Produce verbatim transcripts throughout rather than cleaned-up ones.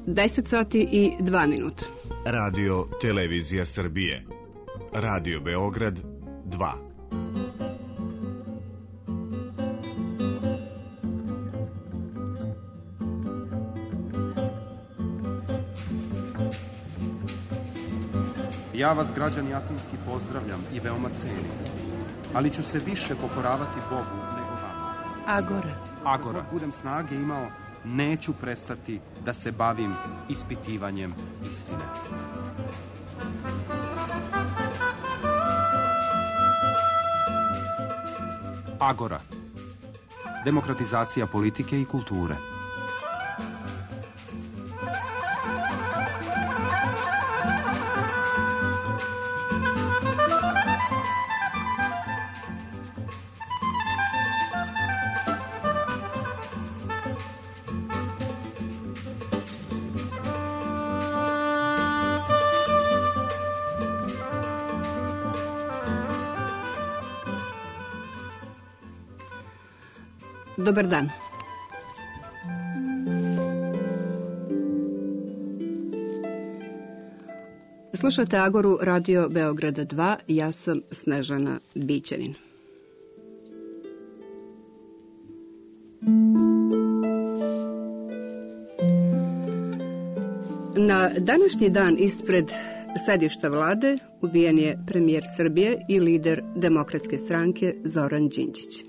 deset sati i dva minuta. Radio Televizija Srbije. Radio Beograd dva. Ja vas, građani Atinski, pozdravljam i veoma cenim, ali ću se više pokoravati Bogu nego vama. Agora. Agora. Ako budem snage imao, neću prestati da se bavim ispitivanjem istine. Agora. Demokratizacija politike i kulture. Dobar dan. Slušate Agoru Radio Beograda dva, ja sam Snežana Bićanin. Na današnji dan ispred sedišta vlade ubijen je premijer Srbije i lider Demokratske stranke Zoran Đinđić.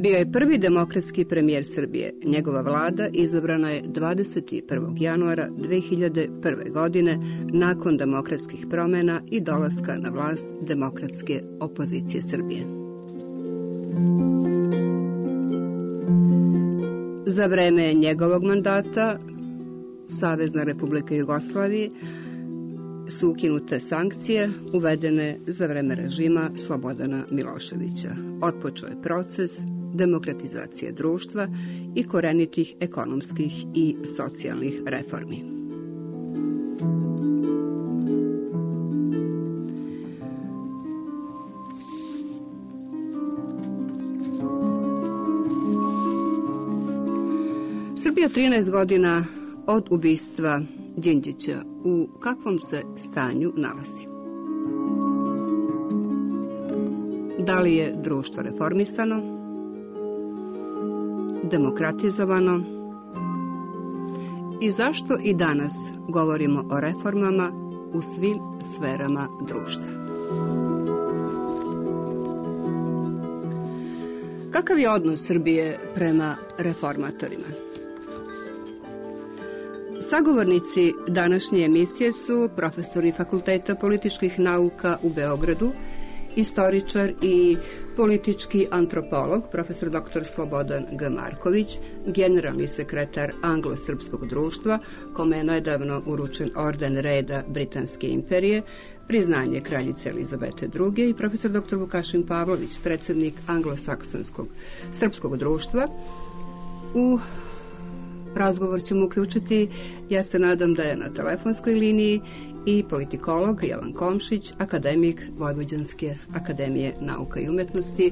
Bio je prvi demokratski premijer Srbije. Njegova vlada izabrana je dvadeset prvog januara dve hiljade prve. godine nakon demokratskih promjena i dolaska na vlast demokratske opozicije Srbije. Za vreme njegovog mandata Savezna Republika Jugoslavije su ukinute sankcije uvedene za vreme režima Slobodana Miloševića. Otpočeo je proces demokratizacije društva i korenitih ekonomskih i socijalnih reformi. Srbija trinaest godina od ubistva Đinđića. U kakvom se stanju nalazi? Da li je društvo reformisano, demokratizovano i zašto i danas govorimo o reformama u svim sferama društva? Kakav je odnos Srbije prema reformatorima? Sagovornici današnje emisije su profesori Fakulteta političkih nauka u Beogradu, istoričar i politički antropolog, profesor doktor Slobodan G. Marković, generalni sekretar Anglo-srpskog društva, kome je nedavno uručen orden reda Britanske imperije, priznanje kraljice Elizabete druge. i profesor doktor Vukašin Pavlović, predsjednik Anglo-saksonskog srpskog društva. U razgovor ćemo uključiti, ja se nadam da je na telefonskoj liniji, i politikolog Jovan Komšić, akademik Vojvođanske akademije nauka i umetnosti.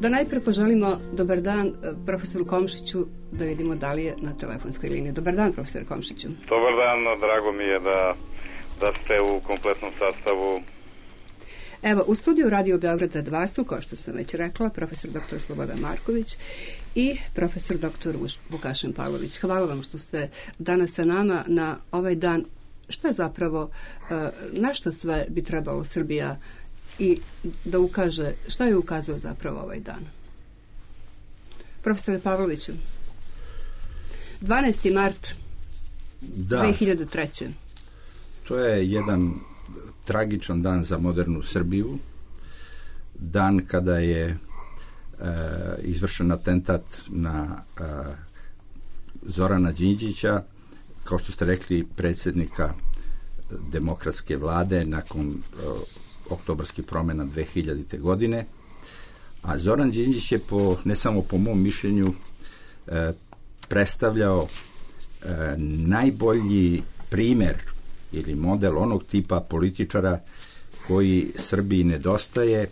Da najpre poželimo dobar dan profesoru Komšiću, da vidimo da li je na telefonskoj liniji. Dobar dan, profesor Komšiću. Dobar dan, drago mi je da, da ste u kompletnom sastavu. Evo, u studiju Radio Beograda dva su, kao što sam već rekla, profesor doktor Slobodan Marković i profesor doktor Vukašin Pavlović. Hvala vam što ste danas sa nama na ovaj dan. Šta je zapravo, na što sve bi trebalo Srbija i da ukaže, šta je ukazao zapravo ovaj dan? Profesore Pavloviću, dvanaesti mart da, dve hiljade treće. To je jedan tragičan dan za modernu Srbiju. Dan kada je e, izvršen atentat na e, Zorana Đinđića, kao što ste rekli, predsjednika demokratske vlade nakon e, oktobarskih promjena dve hiljadite. godine. A Zoran Đinđić je, po, ne samo po mom mišljenju, e, predstavljao e, najbolji primjer ili model onog tipa političara koji Srbiji nedostaje,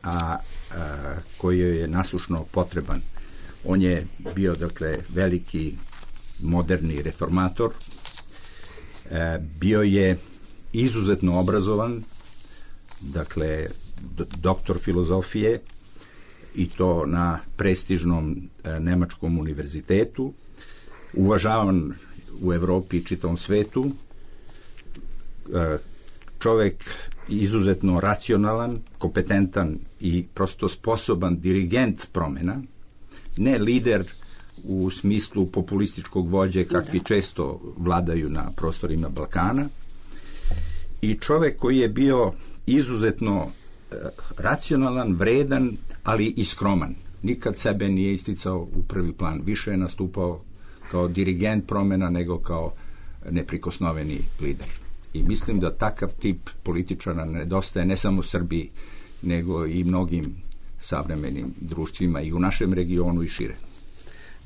a, a koji joj je nasušno potreban. On je bio, dakle, veliki moderni reformator. E, bio je izuzetno obrazovan, dakle, doktor filozofije, i to na prestižnom e, nemačkom univerzitetu, uvažavan u Evropi i čitavom svetu, e, čovek izuzetno racionalan, kompetentan i prosto sposoban dirigent promjena, ne lider u smislu populističkog vođe kakvi da. često vladaju na prostorima Balkana, i čovek koji je bio izuzetno e, racionalan, vredan, ali i skroman. Nikad sebe nije isticao u prvi plan. Više je nastupao kao dirigent promjena nego kao neprikosnoveni lider. I mislim da takav tip političara nedostaje ne samo Srbiji, nego i mnogim savremenim društvima i u našem regionu i šire.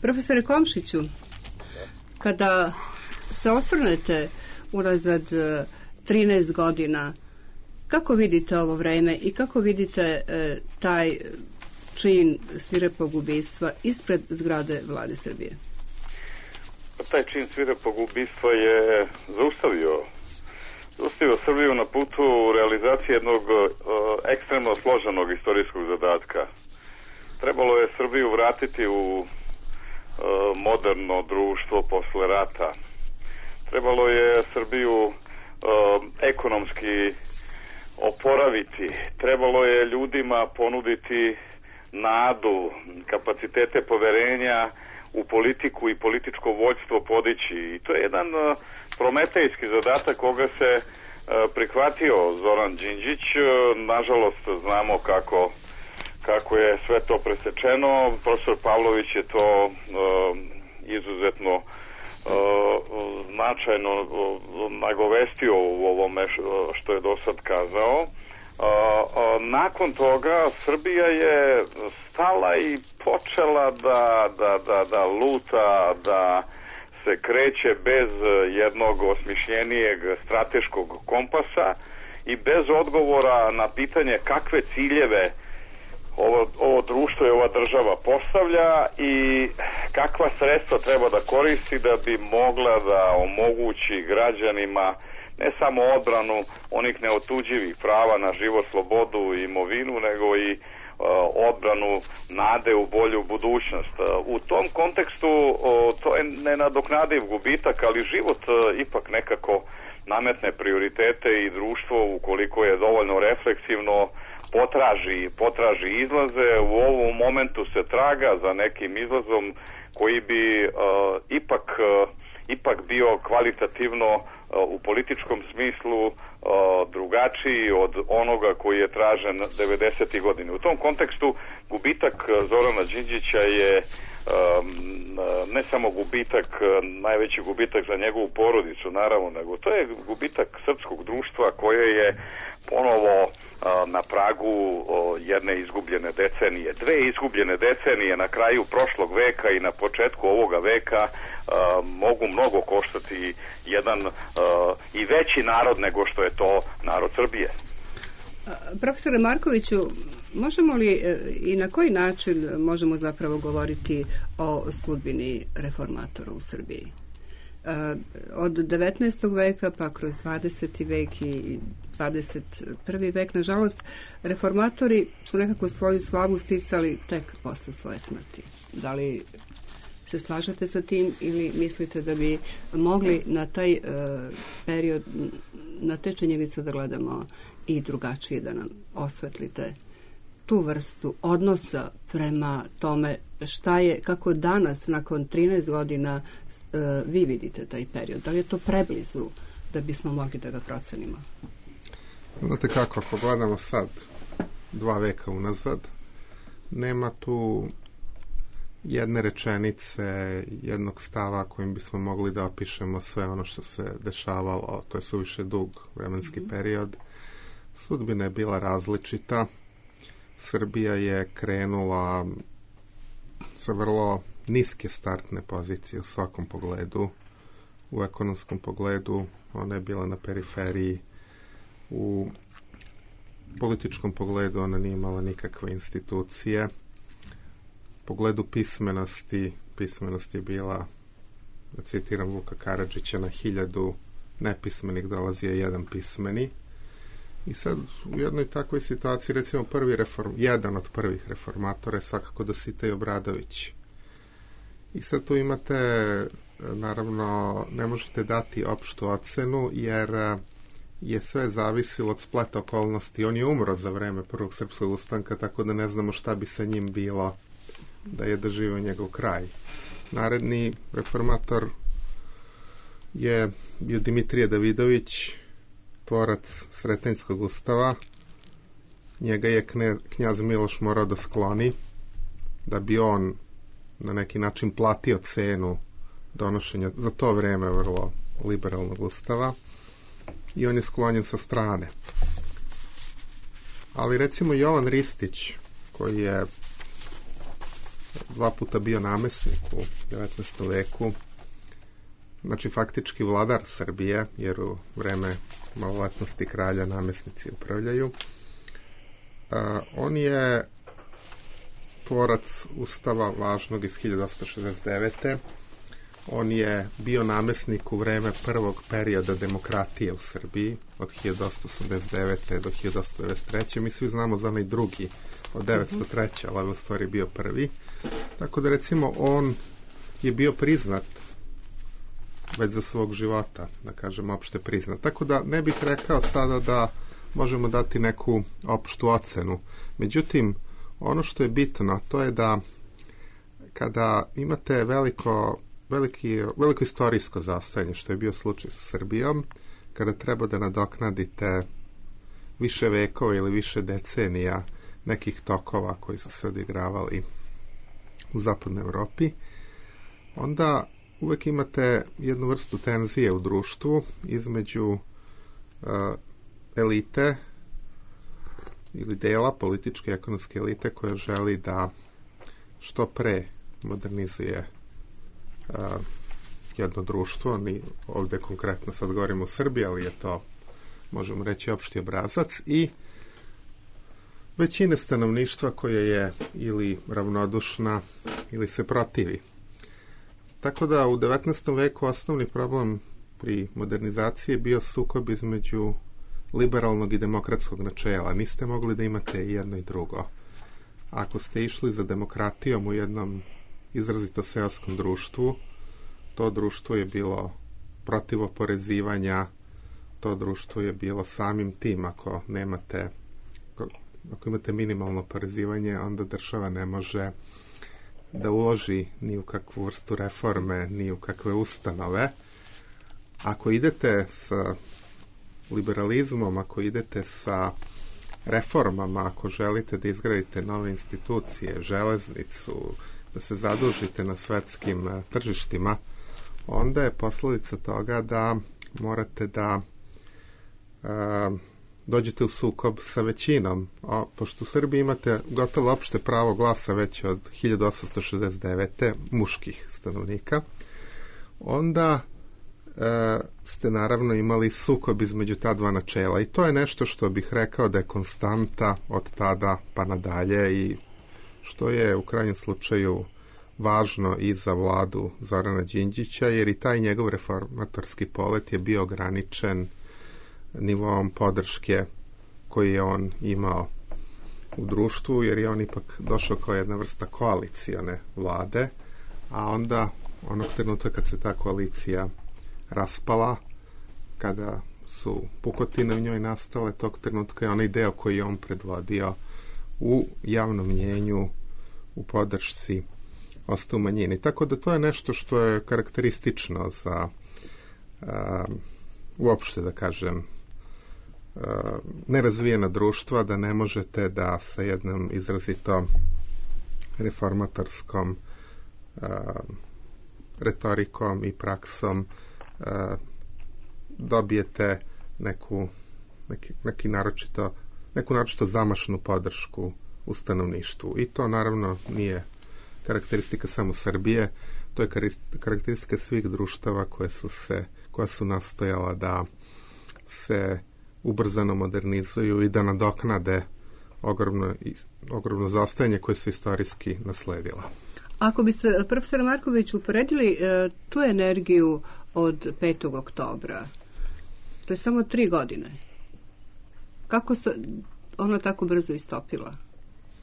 Profesore Komšiću, kada se osvrnete unazad trinaest godina, kako vidite ovo vreme i kako vidite e, taj čin svirepog ubistva ispred zgrade Vlade Srbije? Taj čin svirepog ubistva je zaustavio zaustavio Srbiju na putu realizacije jednog uh, ekstremno složenog istorijskog zadatka. Trebalo je Srbiju vratiti u uh, moderno društvo posle rata. Trebalo je Srbiju uh, ekonomski oporaviti. Trebalo je ljudima ponuditi nadu, kapacitete poverenja u politiku i političko vođstvo podići. I to je jedan uh, prometejski zadatak koga se uh, prihvatio Zoran Đinđić. Uh, nažalost, znamo kako, kako je sve to presečeno. Profesor Pavlović je to uh, izuzetno uh, značajno uh, nagovestio u ovome što je do sad kazao. Uh, uh, nakon toga Srbija je stala i počela da, da, da, da luta, da se kreće bez jednog osmišljenijeg strateškog kompasa i bez odgovora na pitanje kakve ciljeve ovo, ovo društvo i ova država postavlja i kakva sredstva treba da koristi da bi mogla da omogući građanima ne samo odbranu onih neotuđivih prava na život, slobodu i imovinu, nego i uh, odbranu nade u bolju budućnost. Uh, u tom kontekstu uh, to je nenadoknadiv gubitak, ali život uh, ipak nekako nametne prioritete i društvo, ukoliko je dovoljno refleksivno, potraži, potraži izlaze. U ovom momentu se traga za nekim izlazom koji bi uh, ipak, uh, ipak bio kvalitativno u političkom smislu uh, drugačiji od onoga koji je tražen devedesetih godina. U tom kontekstu gubitak Zorana Đinđića je um, ne samo gubitak, najveći gubitak za njegovu porodicu, naravno, nego to je gubitak srpskog društva koje je ponovo uh, na pragu uh, jedne izgubljene decenije. Dve izgubljene decenije na kraju prošlog veka i na početku ovoga veka Uh, mogu mnogo koštati jedan uh, i veći narod nego što je to narod Srbije. Profesore Markoviću, možemo li i na koji način možemo zapravo govoriti o sudbini reformatora u Srbiji? Uh, od devetnaestog veka pa kroz dvadeseti vek i dvadeset prvi vek, nažalost, reformatori su nekako svoju slavu sticali tek posle svoje smrti. Da li se slažete sa tim ili mislite da bi mogli na taj uh, period, na te činjenice da gledamo i drugačije, da nam osvetlite tu vrstu odnosa prema tome šta je, kako danas nakon trinaest godina uh, vi vidite taj period? Da li je to preblizu da bismo mogli da ga procenimo? Znate kako, ako gledamo sad dva veka unazad, nema tu jedne rečenice, jednog stava kojim bismo mogli da opišemo sve ono što se dešavalo. To je suviše dug vremenski mm-hmm. period. Sudbina je bila različita. Srbija je krenula sa vrlo niske startne pozicije u svakom pogledu. U ekonomskom pogledu ona je bila na periferiji. U političkom pogledu ona nije imala nikakve institucije. pogledu pismenosti, pismenost je bila, da citiram Vuka Karadžića, na hiljadu nepismenih dolazio jedan pismeni. I sad u jednoj takvoj situaciji, recimo prvi reform, jedan od prvih reformatora je svakako Dositej Obradović. I sad tu imate, naravno, ne možete dati opštu ocenu, jer je sve zavisilo od spleta okolnosti. On je umro za vreme Prvog srpskog ustanka, tako da ne znamo šta bi sa njim bilo da je doživio njegov kraj. Naredni reformator je bio Dimitrije Davidović, tvorac Sretenjskog ustava. Njega je knjaz Miloš morao da skloni, da bi on na neki način platio cenu donošenja za to vreme vrlo liberalnog ustava, i on je sklonjen sa strane. Ali recimo Jovan Ristić, koji je dva puta bio namesnik u devetnaestom veku, znači faktički vladar Srbije, jer u vreme maloletnosti kralja namesnici upravljaju, a, on je tvorac ustava važnog iz hiljadu osamsto šezdeset devete. On je bio namesnik u vreme prvog perioda demokratije u Srbiji, od hiljadu osamsto osamdeset devete do hiljadu osamsto devedeset treće. Mi svi znamo za onaj drugi, od devetsto treće, ali u stvari bio prvi. Tako da, recimo, on je bio priznat već za svog života, da kažem, opšte priznat. Tako da ne bih rekao sada da možemo dati neku opštu ocenu. Međutim, ono što je bitno, to je da kada imate veliko, veliki, veliko istorijsko zastajanje, što je bio slučaj sa Srbijom, kada treba da nadoknadite više vekova ili više decenija nekih tokova koji su se odigravali u zapadnoj Evropi, onda uvek imate jednu vrstu tenzije u društvu između uh, elite ili dela političke i ekonomske elite koja želi da što pre modernizuje uh, jedno društvo. Ni ovde konkretno sad govorimo o Srbiji, ali je to, možemo reći, opšti obrazac, i većine stanovništva koje je ili ravnodušna ili se protivi. Tako da u devetnaestom veku osnovni problem pri modernizaciji je bio sukob između liberalnog i demokratskog načela. Niste mogli da imate jedno i drugo. Ako ste išli za demokratijom u jednom izrazito seoskom društvu, to društvo je bilo protiv oporezivanja, to društvo je bilo samim tim, ako nemate, ako imate minimalno oporezivanje, onda država ne može da uloži ni u kakvu vrstu reforme, ni u kakve ustanove. Ako idete sa liberalizmom, ako idete sa reformama, ako želite da izgradite nove institucije, železnicu, da se zadužite na svetskim tržištima, onda je posledica toga da morate da a, dođete u sukob sa većinom. A, pošto u Srbiji imate gotovo opšte pravo glasa već od hiljadu osamsto šezdeset devete muških stanovnika, onda e, ste naravno imali sukob između ta dva načela. I to je nešto što bih rekao da je konstanta od tada pa nadalje i što je u krajnjem slučaju važno i za vladu Zorana Đinđića, jer i taj njegov reformatorski polet je bio ograničen nivoom podrške koji je on imao u društvu, jer je on ipak došao kao jedna vrsta koalicione vlade, a onda onog trenutka kad se ta koalicija raspala, kada su pukotine u njoj nastale, tog trenutka je onaj deo koji je on predvodio u javnom mnjenju, u podršci, ostao u manjini. Tako da to je nešto što je karakteristično za a, uopšte, da kažem, a, nerazvijena društva, da ne možete da sa jednom izrazito reformatorskom a, retorikom i praksom a, dobijete neku, neki, neki naročito, neku naročito zamašnu podršku u stanovništvu. I to naravno nije karakteristika samo Srbije, to je karakteristika svih društava koje su se, koja su nastojala da se ubrzano modernizuju i da nadoknade ogromno, ogromno zaostajanje koje su istorijski nasledila. Ako biste, profesor Marković, uporedili e, tu energiju od petog oktobra, to je samo tri godine. Kako se ona tako brzo istopila?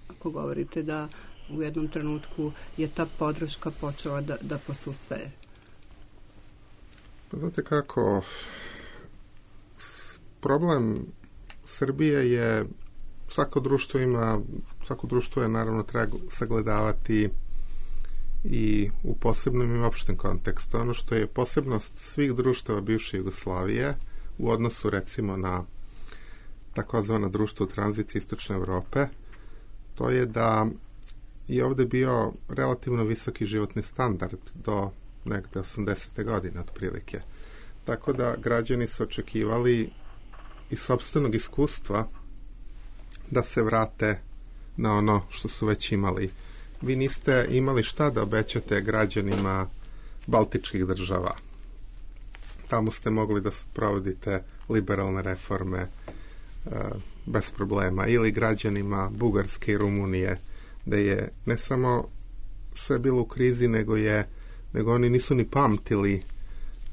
Ako govorite da u jednom trenutku je ta podrška počela da, da posustaje. Pa znate kako, problem Srbije je, svako društvo ima, svako društvo je naravno treba sagledavati i u posebnom i opštem kontekstu. Ono što je posebnost svih društava bivše Jugoslavije u odnosu recimo na takozvana društva u tranziciji Istočne Evrope, to je da je ovde bio relativno visoki životni standard do negde osamdesete godine otprilike. Tako da građani su očekivali iz sopstvenog iskustva da se vrate na ono što su već imali. Vi niste imali šta da obećate građanima baltičkih država. Tamo ste mogli da provodite liberalne reforme e, bez problema. Ili građanima Bugarske i Rumunije, da je ne samo sve bilo u krizi, nego je nego oni nisu ni pamtili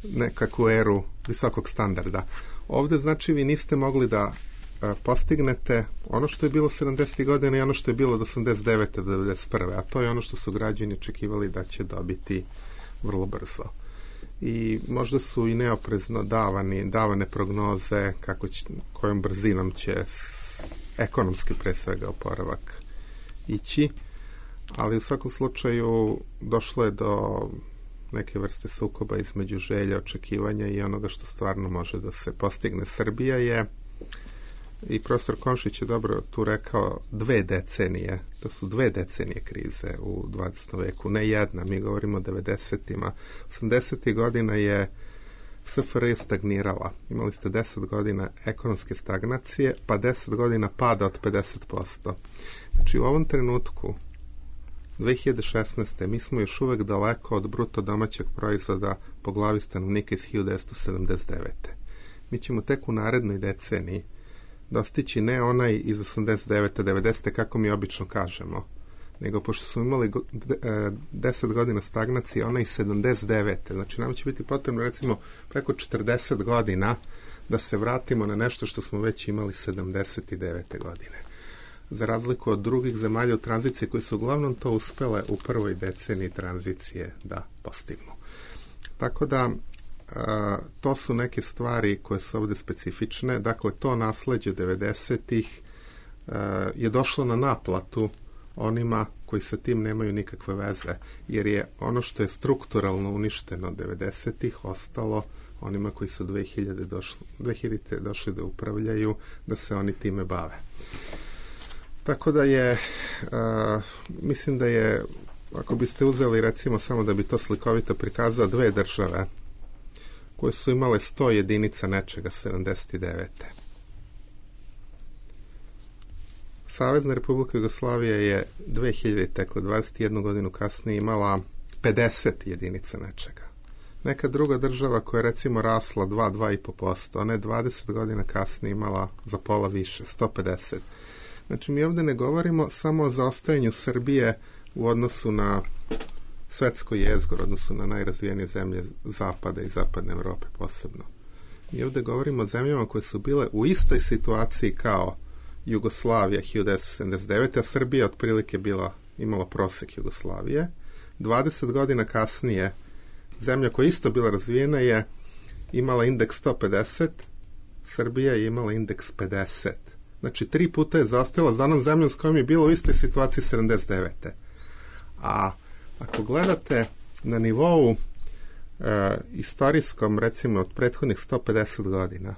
nekakvu eru visokog standarda. Ovde, znači, vi niste mogli da a, postignete ono što je bilo sedamdesetih godina i ono što je bilo od osamdeset devete do devedeset prve, a to je ono što su građani očekivali da će dobiti vrlo brzo. I možda su i neoprezno davani, davane prognoze kako će, kojom brzinom će s, ekonomski pre svega oporavak ići, ali u svakom slučaju došlo je do neke vrste sukoba između želja, očekivanja i onoga što stvarno može da se postigne. Srbija je, i profesor Komšić je dobro tu rekao, dve decenije, to su dve decenije krize u dvadesetom veku, ne jedna, mi govorimo o devedesetima. osamdesetih godina je S F R J stagnirala. Imali ste deset godina ekonomske stagnacije, pa deset godina pada od pedeset posto. Znači u ovom trenutku dve hiljade šesnaeste. mi smo još uvek daleko od bruto domaćeg proizvoda po glavi stanovnika iz hiljadu devetsto sedamdeset devete. Mi ćemo tek u narednoj deceniji dostići ne onaj iz osamdeset devete devedesete kako mi obično kažemo, nego pošto smo imali deset godina stagnacije, onaj iz sedamdeset devete. Znači nam će biti potrebno recimo preko četrdeset godina da se vratimo na nešto što smo već imali sedamdeset devete godine. Za razliku od drugih zemalja u tranziciji koji su uglavnom to uspele u prvoj deceniji tranzicije da postignu. Tako da a, to su neke stvari koje su ovde specifične. Dakle, to nasleđe devedesetih je došlo na naplatu onima koji sa tim nemaju nikakve veze, jer je ono što je strukturalno uništeno devedesetih ostalo onima koji su dve hiljade došli, dve hiljade došli da upravljaju, da se oni time bave. Tako da je, uh, mislim da je, ako biste uzeli recimo samo da bi to slikovito prikazao, dve države koje su imale sto jedinica nečega sedamdeset devete. Savezna Republika Jugoslavija je dve hiljade tekle dvadeset jednu godinu kasnije imala pedeset jedinica nečega. Neka druga država koja je recimo rasla dva do dva i po posto, ona je dvadeset godina kasnije imala za pola više, sto pedeset. Znači, mi ovde ne govorimo samo o zaostajanju Srbije u odnosu na svetsko jezgro, u odnosu na najrazvijenije zemlje Zapada i Zapadne Evrope posebno. Mi ovde govorimo o zemljama koje su bile u istoj situaciji kao Jugoslavija hiljadu devetsto sedamdeset devete. a Srbija otprilike bila, imala prosek Jugoslavije. dvadeset godina kasnije zemlja koja isto bila razvijena je imala indeks sto pedeset, Srbija je imala indeks pedeset. Znači, tri puta je zaostajala za onom zemljom s kojom je bila u istoj situaciji sedamdeset devete. A ako gledate na nivou e, istorijskom, recimo, od prethodnih sto pedeset godina,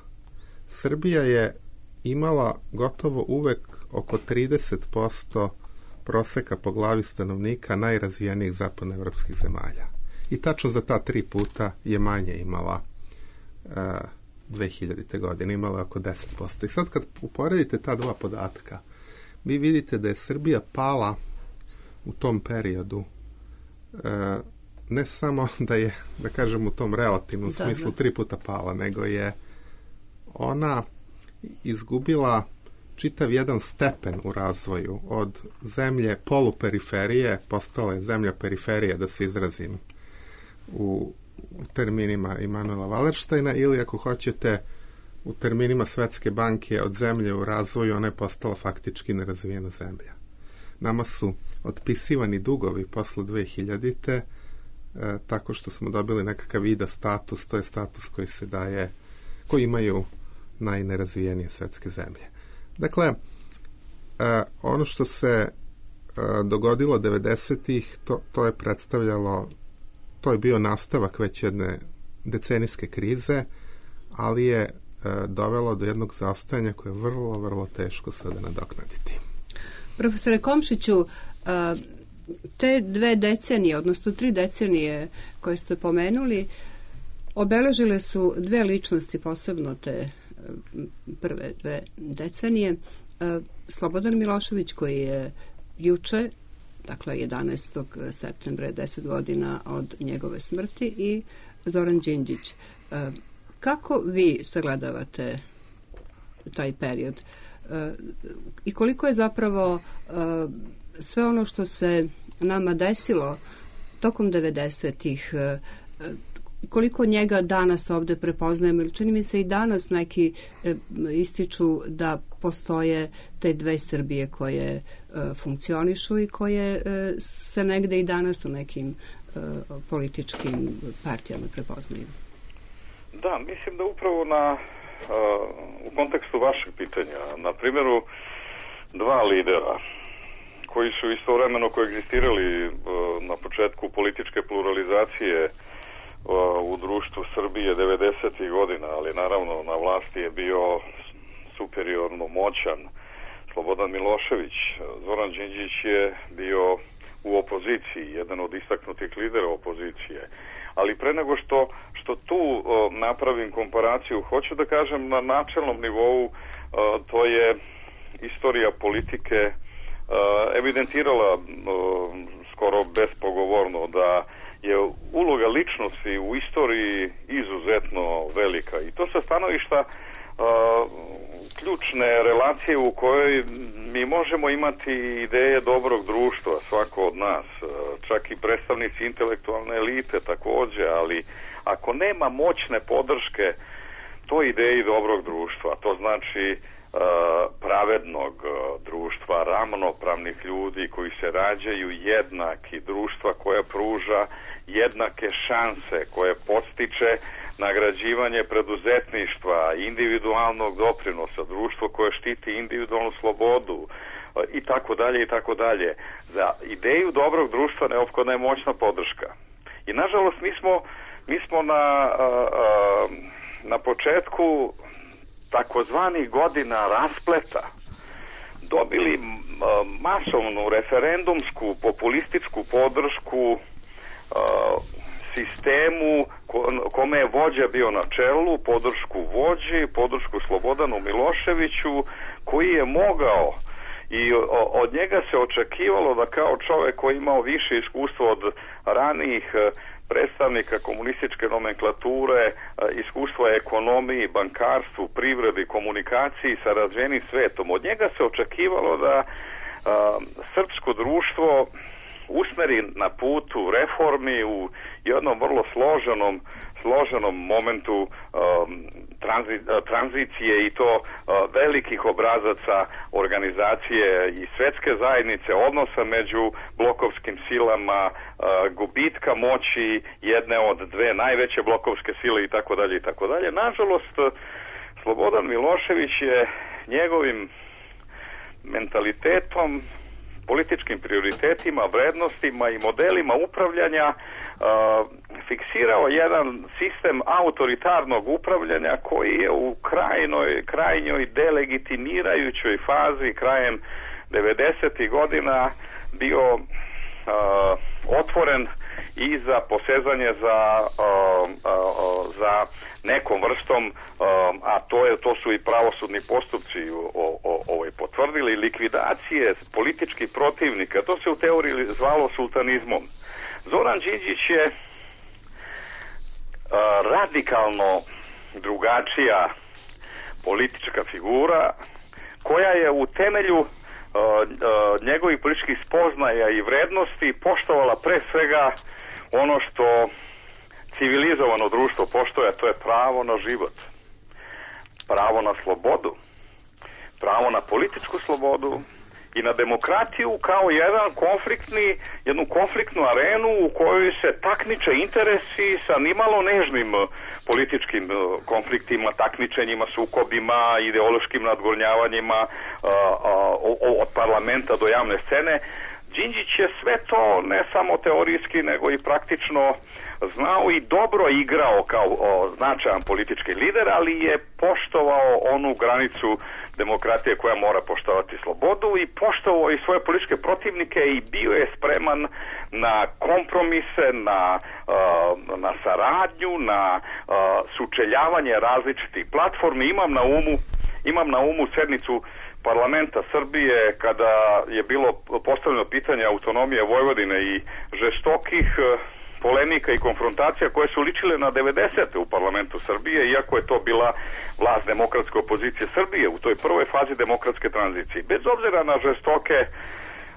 Srbija je imala gotovo uvek oko trideset posto proseka po glavi stanovnika najrazvijenijih zapadnoevropskih zemalja. I tačno za ta tri puta je manje imala uh, dve hiljadite. godine, imala oko deset posto. I sad kad uporedite ta dva podatka, vi vidite da je Srbija pala u tom periodu, uh, ne samo da je, da kažem, u tom relativnom da, smislu da. tri puta pala, nego je ona izgubila čitav jedan stepen u razvoju od zemlje poluperiferije, postala je zemlja periferije, da se izrazim u, u terminima Immanuela Wallersteina, ili ako hoćete u terminima Svetske banke, od zemlje u razvoju ona je postala faktički nerazvijena zemlja. Nama su otpisivani dugovi posle dve hiljadite E, tako što smo dobili nekakav vida status, to je status koji se daje, koji imaju najnerazvijenije svetske zemlje. Dakle, e, ono što se e, dogodilo devedesetih, to, to je predstavljalo, to je bio nastavak već jedne decenijske krize, ali je e, dovelo do jednog zaostajanja koje je vrlo, vrlo teško sada nadoknaditi. Profesore Komšiću, a, te dve decenije, odnosno tri decenije koje ste pomenuli, obeležile su dve ličnosti, posebno te prve dve decenije. Slobodan Milošević, koji je juče, dakle jedanaestog septembra, deset godina od njegove smrti, i Zoran Đinđić. Kako vi sagledavate taj period? I koliko je zapravo sve ono što se nama desilo tokom devedesetih, koliko njega danas ovde prepoznajemo, ili čini mi se i danas neki ističu da postoje te dve Srbije koje funkcionišu i koje se negde i danas u nekim političkim partijama prepoznaju. Da, mislim da upravo na u kontekstu vašeg pitanja, na primjeru dva lidera koji su istovremeno koegzistirali na početku političke pluralizacije u društvu Srbije devedesetih godina, ali naravno na vlasti je bio superiorno moćan Slobodan Milošević. Zoran Đinđić je bio u opoziciji, jedan od istaknutih lidera opozicije. Ali pre nego što, što tu o, napravim komparaciju, hoću da kažem na načelnom nivou, o, to je istorija politike o, evidentirala o, skoro bespogovorno da je uloga ličnosti u istoriji izuzetno velika. I to sa stanovišta o, ključne relacije u kojoj mi možemo imati ideje dobrog društva, svako od nas, čak i predstavnici intelektualne elite takođe, ali ako nema moćne podrške toj ideji dobrog društva, to znači uh, pravednog uh, društva, ravnopravnih ljudi koji se rađaju jednaki, društva koja pruža jednake šanse, koje podstiče nagrađivanje preduzetništva, individualnog doprinosa, društvo koje štiti individualnu slobodu i tako dalje i tako dalje. Za ideju dobrog društva neophodna je moćna podrška. I nažalost mi smo, mi smo na, na početku takozvanih godina raspleta dobili masovnu referendumsku populističku podršku sistemu kome je vođa bio na čelu, podršku vođi, podršku Slobodanu Miloševiću, koji je mogao i od njega se očekivalo da kao čovek koji imao više iskustva od ranijih predstavnika komunističke nomenklature, iskustva ekonomiji, bankarstvu, privredi, komunikaciji sa razvijenim svetom, od njega se očekivalo da a, srpsko društvo usmeri na putu reformi u jednom vrlo složenom složenom momentu um, tranzi, tranzicije i to uh, velikih obrazaca organizacije i svetske zajednice, odnosa među blokovskim silama, uh, gubitka moći jedne od dve najveće blokovske sile i tako dalje i tako dalje. Nažalost, Slobodan Milošević je njegovim mentalitetom, političkim prioritetima, vrednostima i modelima upravljanja uh, fiksirao jedan sistem autoritarnog upravljanja koji je u krajnoj, krajnjoj delegitimirajućoj fazi krajem devedesetih godina bio uh, otvoren i za posezanje za, uh, uh, za nekom vrstom, uh, a to je to su i pravosudni postupci o, o, ovaj potvrdili, likvidacije političkih protivnika. To se u teoriji zvalo sultanizmom. Zoran Đinđić je uh, radikalno drugačija politička figura koja je u temelju uh, uh, njegovih političkih spoznaja i vrednosti poštovala pre svega ono što civilizovano društvo poštuje, a to je pravo na život, pravo na slobodu, pravo na političku slobodu i na demokratiju kao jedan konfliktni, jednu konfliktnu arenu u kojoj se takmiče interesi sa nimalo nežnim političkim konfliktima, takmičenjima, sukobima, ideološkim nadgornjavanjima od parlamenta do javne scene. Đinđić je sve to ne samo teorijski, nego i praktično znao i dobro igrao kao o, značajan politički lider, ali je poštovao onu granicu demokratije koja mora poštovati slobodu i poštovao i svoje političke protivnike i bio je spreman na kompromise, na, uh, na saradnju, na uh, sučeljavanje različitih platformi. Imam na umu, imam na umu sednicu parlamenta Srbije kada je bilo postavljeno pitanje autonomije Vojvodine i žestokih uh, polemika i konfrontacija koje su ličile na devedesete u parlamentu Srbije, iako je to bila vlast demokratske opozicije Srbije u toj prvoj fazi demokratske tranzicije. Bez obzira na žestoke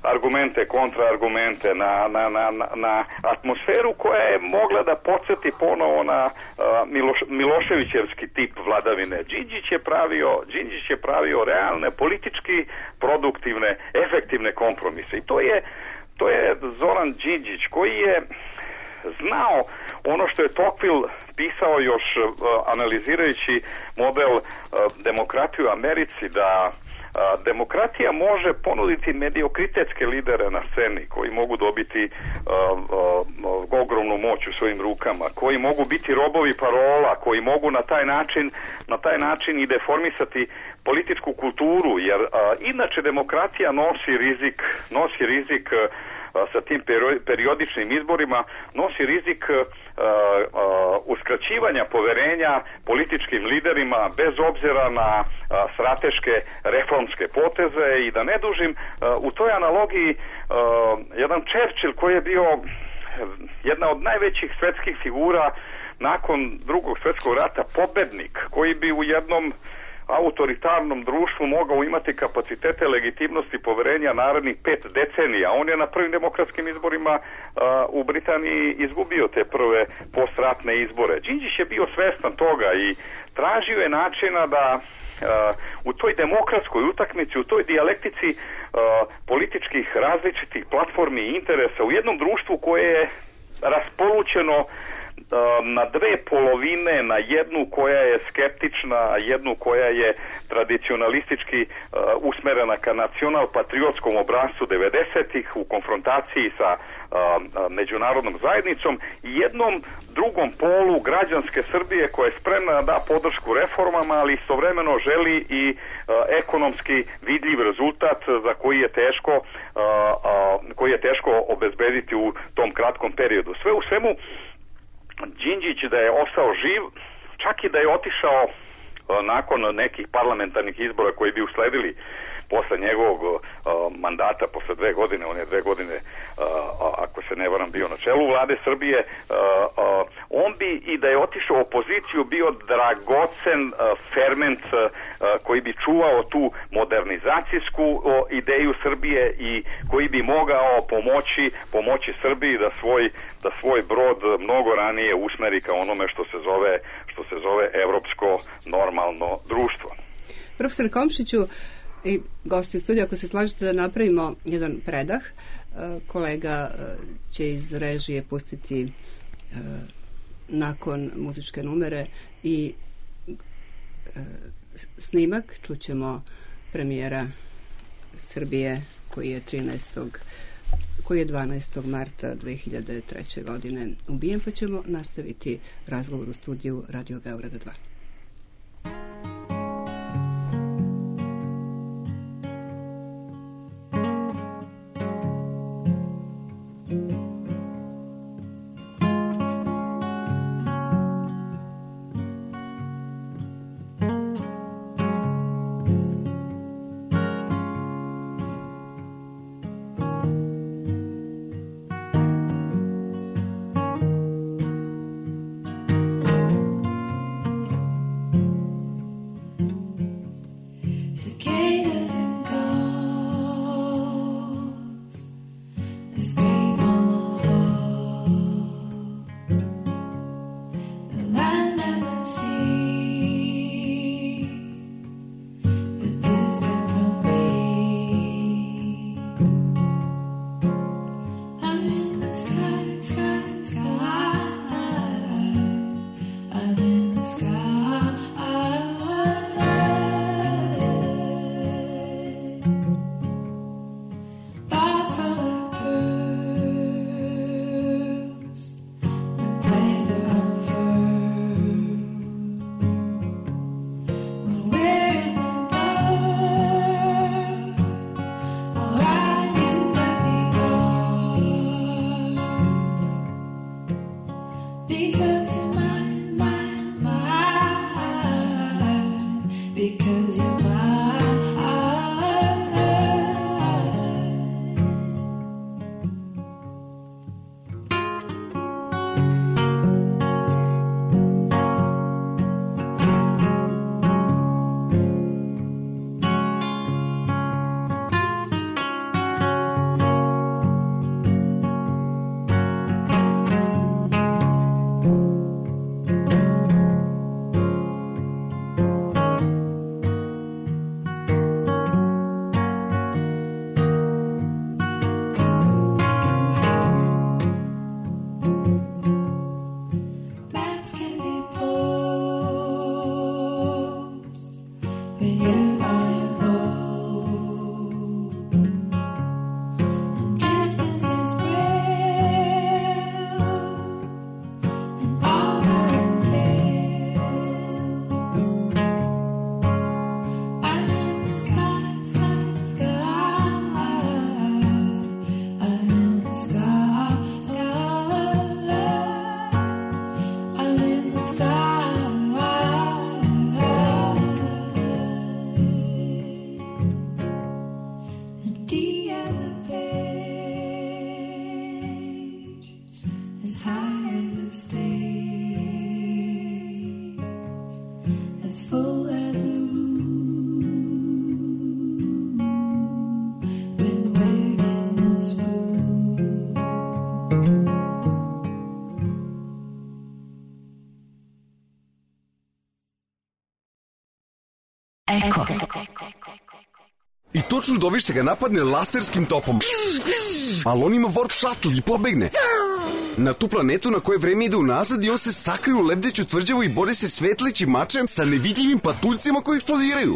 argumente, kontraargumente, na, na, na, na atmosferu koja je mogla da podsjeti ponovo na uh, Miloš, Miloševićevski tip vladavine. Đinđić je pravio, Đinđić je pravio realne, politički produktivne, efektivne kompromise. I to je, to je Zoran Đinđić koji je znao ono što je Tocqueville pisao još uh, analizirajući model uh, demokratije u Americi, da uh, demokratija može ponuditi mediokritetske lidere na sceni koji mogu dobiti uh, uh, ogromnu moć u svojim rukama, koji mogu biti robovi parola, koji mogu na taj način, na taj način i deformisati političku kulturu, jer uh, inače demokratija nosi rizik, nosi rizik uh, sa tim periodičnim izborima, nosi rizik uh, uh, uskraćivanja poverenja političkim liderima bez obzira na uh, strateške reformske poteze. I da ne dužim, uh, u toj analogiji uh, jedan Churchill koji je bio jedna od najvećih svetskih figura nakon Drugog svjetskog rata, pobednik, koji bi u jednom autoritarnom društvu mogao imati kapacitete legitimnosti poverenja narednih pet decenija. On je na prvim demokratskim izborima uh, u Britaniji izgubio te prve postratne izbore. Đinđić je bio svestan toga i tražio je načina da uh, u toj demokratskoj utakmici, u toj dijalektici uh, političkih različitih platformi i interesa u jednom društvu koje je raspolućeno na dve polovine, na jednu koja je skeptična, a jednu koja je tradicionalistički uh, usmerena ka nacional-patriotskom obrascu devedesetih u konfrontaciji sa uh, međunarodnom zajednicom i jednom drugom polu građanske Srbije koja je spremna da da podršku reformama, ali istovremeno želi i uh, ekonomski vidljiv rezultat za koji je teško uh, uh, koji je teško obezbediti u tom kratkom periodu. Sve u svemu, Đinđić da je ostao živ, čak i da je otišao uh, nakon nekih parlamentarnih izbora koji bi usledili posle njegovog uh, mandata, posle dve godine, on je dve godine, uh, ako se ne varam, bio na čelu vlade Srbije, uh, uh, on bi i da je otišao u opoziciju bio dragocen uh, ferment uh, koji bi čuvao tu modernizacijsku uh, ideju Srbije i koji bi mogao pomoći, pomoći Srbiji da svoj, da svoj brod mnogo ranije usmeri ka onome što se zove, što se zove evropsko normalno društvo. Profesor Komšiću i gosti u studiju, ako se slažete da napravimo jedan predah, kolega će iz režije pustiti nakon muzičke numere i snimak, čućemo premijera Srbije koji je trinaestog koji je dvanaestog marta dve hiljade treće. godine ubijen, pa ćemo nastaviti razgovor u studiju Radio Beograda dva. noćno dovište ga napadne laserskim topom. Ali on ima warp shuttle i pobegne na tu planetu na koje vreme ide unazad i on se sakrije u lebdeću tvrđavu i bori se svetlećim mačem sa nevidljivim patuljcima koji eksplodiraju.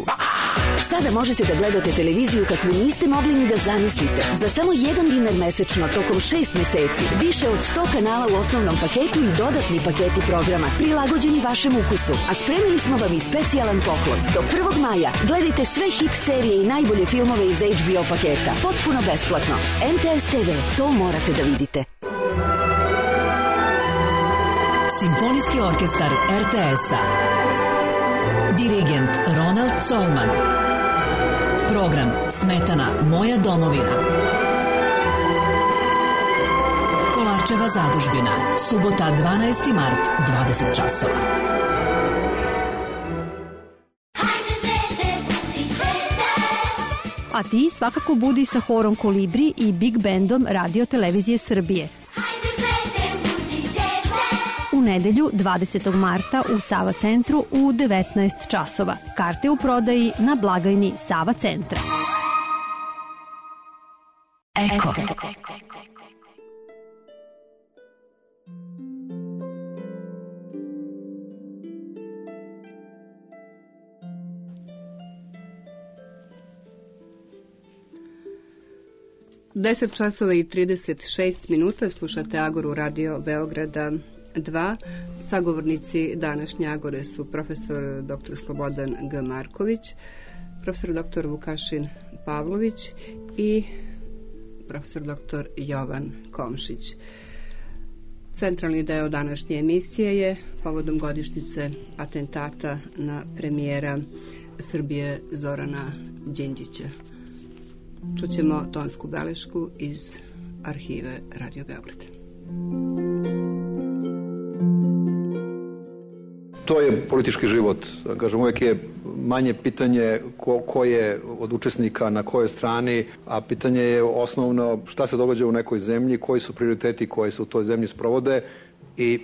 Sada možete da gledate televiziju kakvu niste mogli ni da zamislite. Za samo jedan dinar mesečno tokom šest meseci, više od sto kanala u osnovnom paketu i dodatni paketi programa prilagođeni vašem ukusu. A spremili smo vam i specijalan poklon. Do prvog maja gledajte sve hit serije i najbolje filmove iz H B O paketa. Potpuno besplatno. M T S T V, to morate da vidite. Simfonijski orkestar R T S-a. Dirigent Ronald Colman. Program Smetana, moja domovina. Kolarčeva zadužbina. Subota dvanaesti mart, dvadeset časova. A ti svakako budi sa horom Kolibri i Big Bandom Radio Televizije Srbije. U nedelju dvadesetog marta u Sava centru u devetnaest časova. Karte u prodaji na blagajni Sava centra. Eko. deset časova i trideset šest minuta, slušate Agoru Radio Beograda dva. Sagovornici današnje Agore su profesor doktor Slobodan G. Marković, profesor doktor Vukašin Pavlović i profesor doktor Jovan Komšić. Centralni deo današnje emisije je povodom godišnjice atentata na premijera Srbije Zorana Đinđića. Čućemo tonsku belešku iz arhive Radio Beograd. To je politički život. Kažem, uvijek je manje pitanje ko, ko je od učesnika na kojoj strani, a pitanje je osnovno šta se događa u nekoj zemlji, koji su prioriteti koji se u toj zemlji sprovode i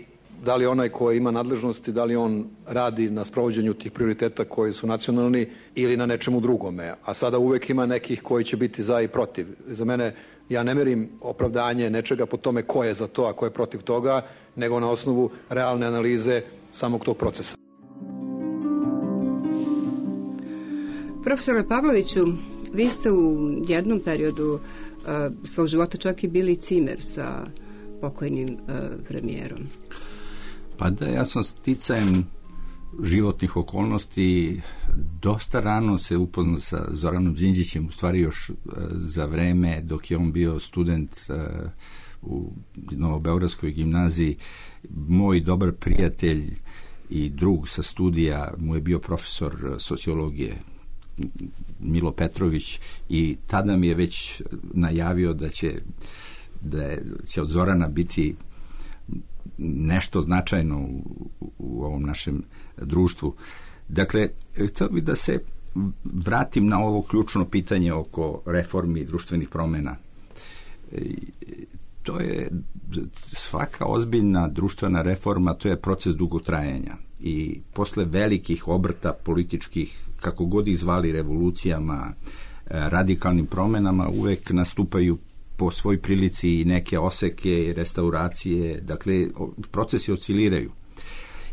da li onaj koji ima nadležnosti, da li on radi na sprovođenju tih prioriteta koji su nacionalni ili na nečemu drugome. A sada uvek ima nekih koji će biti za i protiv. Za mene, ja ne merim opravdanje nečega po tome ko je za to, a ko je protiv toga, nego na osnovu realne analize samog tog procesa. Profesore Pavloviću, vi ste u jednom periodu uh, svog života čak i bili cimer sa pokojnim uh, premijerom. Pa da, ja sam sticajem životnih okolnosti dosta rano se upoznao sa Zoranom Đinđićem, u stvari još uh, za vreme dok je on bio student uh, u Novobeogradskoj gimnaziji. Moj dobar prijatelj i drug sa studija mu je bio profesor sociologije Milo Petrović i tada mi je već najavio da će, da je, će od Zorana biti nešto značajno u, u ovom našem društvu. Dakle, htio bih da se vratim na ovo ključno pitanje oko reformi društvenih promjena. To je svaka ozbiljna društvena reforma, to je proces dugotrajanja i posle velikih obrta političkih, kako god ih zvali, revolucijama, radikalnim promjenama, uvek nastupaju po svoj prilici i neke oseke, restauracije, dakle procesi osciliraju.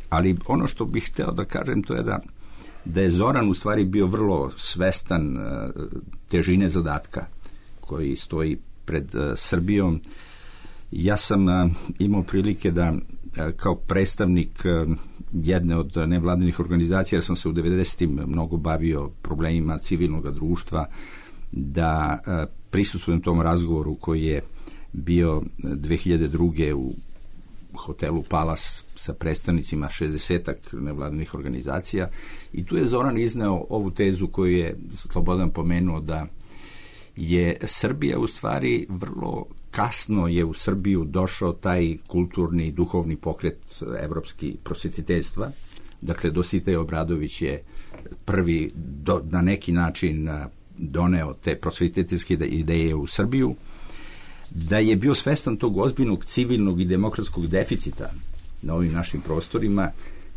Ali ono što bih hteo da kažem to je da, da je Zoran u stvari bio vrlo svestan težine zadatka koji stoji pred uh, Srbijom. Ja sam uh, imao prilike da uh, kao predstavnik uh, jedne od nevladinih organizacija, jer sam se u devedesetim mnogo bavio problemima civilnog društva, da uh, prisustvujem tom razgovoru koji je bio dve hiljade druge u hotelu Palas sa predstavnicima šezdesetak nevladinih organizacija i tu je Zoran izneo ovu tezu koju je Slobodan pomenuo, da je Srbija u stvari vrlo kasno je u Srbiju došao taj kulturni i duhovni pokret evropski prosvetiteljstva. Dakle, Dositej Obradović je prvi do, na neki način doneo te prosvetiteljske ideje u Srbiju, da je bio svestan tog ozbiljnog civilnog i demokratskog deficita na ovim našim prostorima,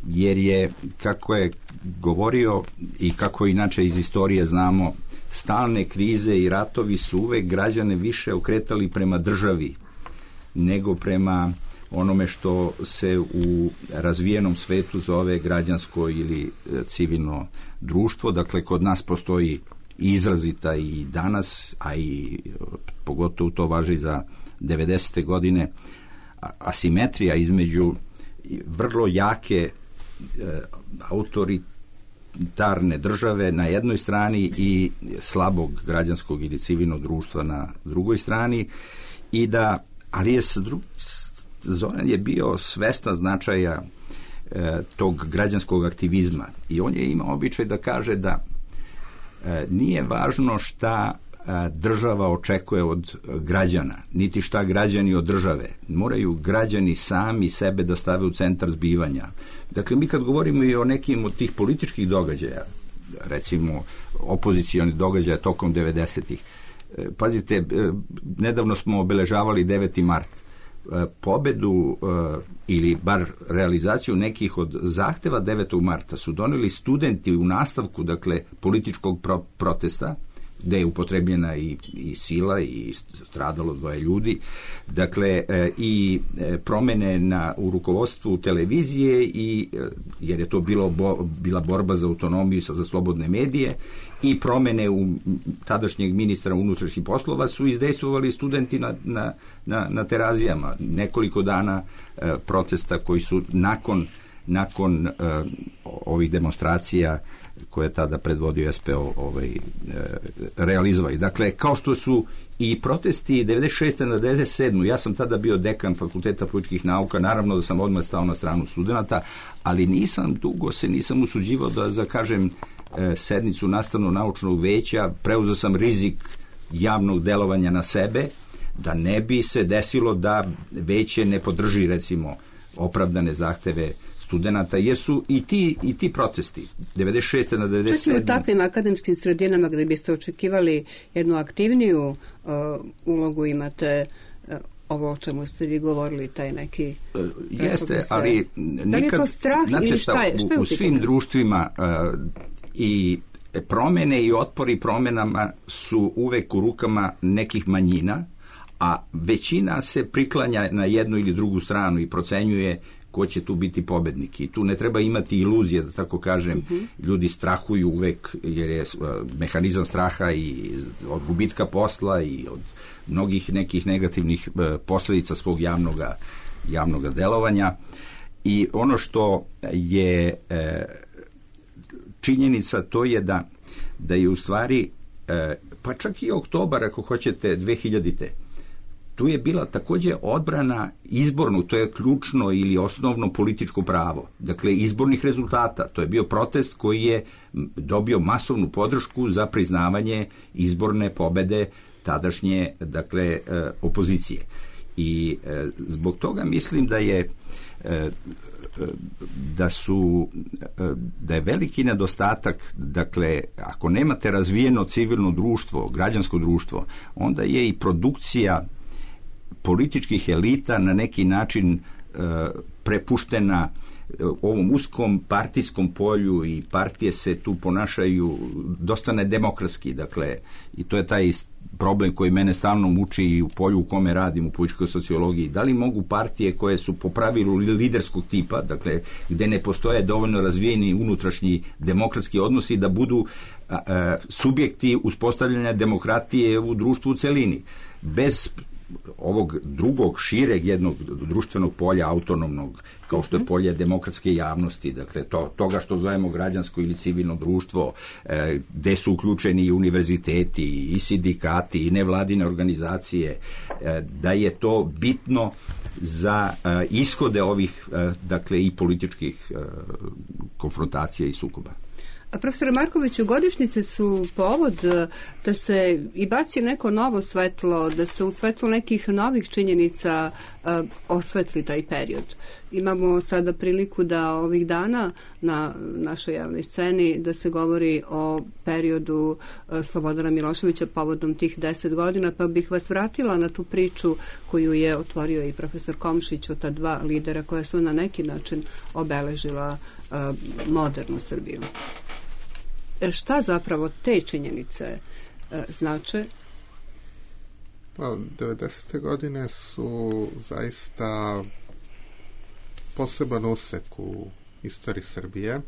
jer je, kako je govorio i kako inače iz istorije znamo, stalne krize i ratovi su uvek građane više okretali prema državi nego prema onome što se u razvijenom svetu zove građansko ili civilno društvo. Dakle, kod nas postoji izrazita i danas, a i pogotovo to važi za devedesete godine, asimetrija između vrlo jake e, autoritarne države na jednoj strani i slabog građanskog ili civilnog društva na drugoj strani, i da, ali je Zoran je bio svestan značaja e, tog građanskog aktivizma i on je imao običaj da kaže da e, nije važno šta država očekuje od građana, niti šta građani od države. Moraju građani sami sebe da stave u centar zbivanja. Dakle, mi kad govorimo i o nekim od tih političkih događaja, recimo opozicioni događaja tokom devedesetih, pazite, nedavno smo obeležavali deveti mart. Pobedu ili bar realizaciju nekih od zahteva devetog marta su doneli studenti u nastavku, dakle, političkog pro- protesta, gde je upotrebljena i, i sila i stradalo dvoje ljudi. Dakle, e, i e, promene na, u rukovodstvu televizije, i, e, jer je to bilo bo, bila borba za autonomiju, za slobodne medije, i promene u tadašnjeg ministra unutrašnjih poslova su izdejstvovali studenti na, na, na, na Terazijama. Nekoliko dana e, protesta koji su nakon, nakon e, ovih demonstracija koje je tada predvodio S P O ovaj, e, realizovali. Dakle, kao što su i protesti devedeset šeste na devedeset sedme. Ja sam tada bio dekan Fakulteta političkih nauka, naravno da sam odmah stao na stranu studenta, ali nisam dugo se nisam usuđivao da zakažem e, sednicu nastavno-naučnog veća, preuzeo sam rizik javnog delovanja na sebe, da ne bi se desilo da veće ne podrži, recimo, opravdane zahteve studenata, jer su i ti, i ti protesti devedeset šeste na devedeset sedme. Čak i u takvim akademskim sredinama gde biste očekivali jednu aktivniju uh, ulogu, imate uh, ovo o čemu ste vi govorili, taj neki... Uh, jeste, se, ali... Nikad, da li je to strah ili šta je? Šta je u, u svim društvima uh, i promene i otpori promenama su uvek u rukama nekih manjina, a većina se priklanja na jednu ili drugu stranu i procenjuje ko će tu biti pobednik. I tu ne treba imati iluzije, da tako kažem. Mm-hmm. Ljudi strahuju uvek, jer je mehanizam straha i od gubitka posla i od mnogih nekih negativnih posledica svog javnoga, javnoga delovanja. I ono što je e, činjenica, to je da, da je u stvari, e, pa čak i oktobar, ako hoćete, dve hiljadite, tu je bila takođe odbrana izbornog, to je ključno ili osnovno političko pravo. Dakle, izbornih rezultata. To je bio protest koji je dobio masovnu podršku za priznavanje izborne pobede tadašnje, dakle, opozicije. I zbog toga mislim da je da su da je veliki nedostatak, dakle, ako nemate razvijeno civilno društvo, građansko društvo, onda je i produkcija političkih elita na neki način e, prepuštena ovom uskom partijskom polju, i partije se tu ponašaju dosta nedemokratski, dakle, i to je taj problem koji mene stalno muči i u polju u kome radim, u političkoj sociologiji. Da li mogu partije koje su po pravilu liderskog tipa, dakle, gde ne postoje dovoljno razvijeni unutrašnji demokratski odnosi, da budu a, a, subjekti uspostavljanja demokratije u društvu u celini? Bez ovog drugog, šireg jednog društvenog polja, autonomnog, kao što je polje demokratske javnosti, dakle, to, toga što zovemo građansko ili civilno društvo, e, gde su uključeni i univerziteti, i sindikati, i nevladine organizacije, e, da je to bitno za e, ishode ovih, e, dakle, i političkih e, konfrontacija i sukoba. A profesor Markoviću, godišnjice su povod da se i baci neko novo svetlo, da se u svetlu nekih novih činjenica uh, osvetli taj period. Imamo sada priliku da ovih dana na našoj javnoj sceni da se govori o periodu uh, Slobodana Miloševića povodom tih deset godina, pa bih vas vratila na tu priču koju je otvorio i profesor Komšić o ta dva lidera koja su na neki način obeležila uh, modernu Srbiju. Šta zapravo te činjenice e, znače? Pa, devedesete godine su zaista poseban usek u istoriji Srbije. E,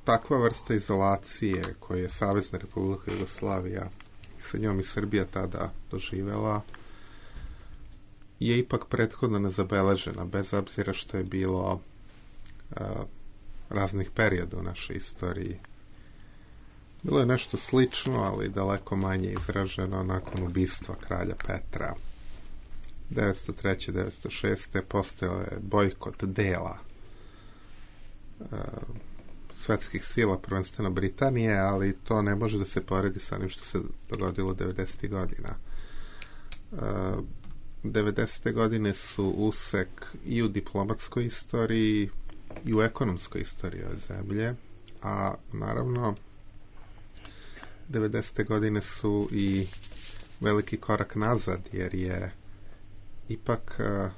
takva vrsta izolacije koju je Savezna Republika Jugoslavija i sa njom i Srbija tada doživela je ipak prethodno nezabeležena, bez obzira što je bilo a, raznih perioda u našoj istoriji. Bilo je nešto slično, ali daleko manje izraženo nakon ubistva kralja Petra. devetsto treće devetsto šeste postojao je bojkot dela a, svetskih sila, prvenstveno Britanije, ali to ne može da se poredi sa onim što se dogodilo devedesetih godina. A, devedesete godine su usek i u diplomatskoj istoriji i u ekonomskoj istoriji ove zemlje, a naravno devedesete godine su i veliki korak nazad, jer je ipak uh,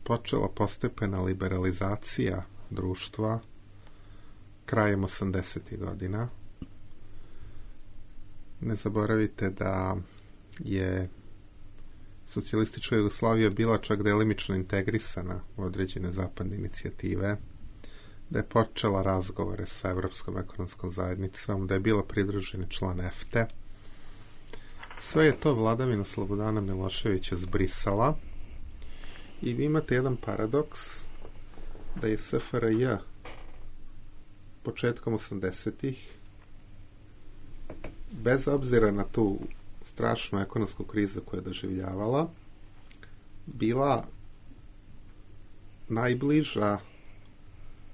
počela postepena liberalizacija društva krajem osamdesetih godina. Ne zaboravite da je socijalistička Jugoslavija bila čak delimično integrisana u određene zapadne inicijative, da je počela razgovore sa Evropskom ekonomskom zajednicom, da je bila pridruženi član E F T E. Sve je to vladavina Slobodana Miloševića zbrisala i vi imate jedan paradoks da je S F R J početkom osamdesetih, bez obzira na tu strašnu ekonomsku krizu koju je doživljavala, bila najbliža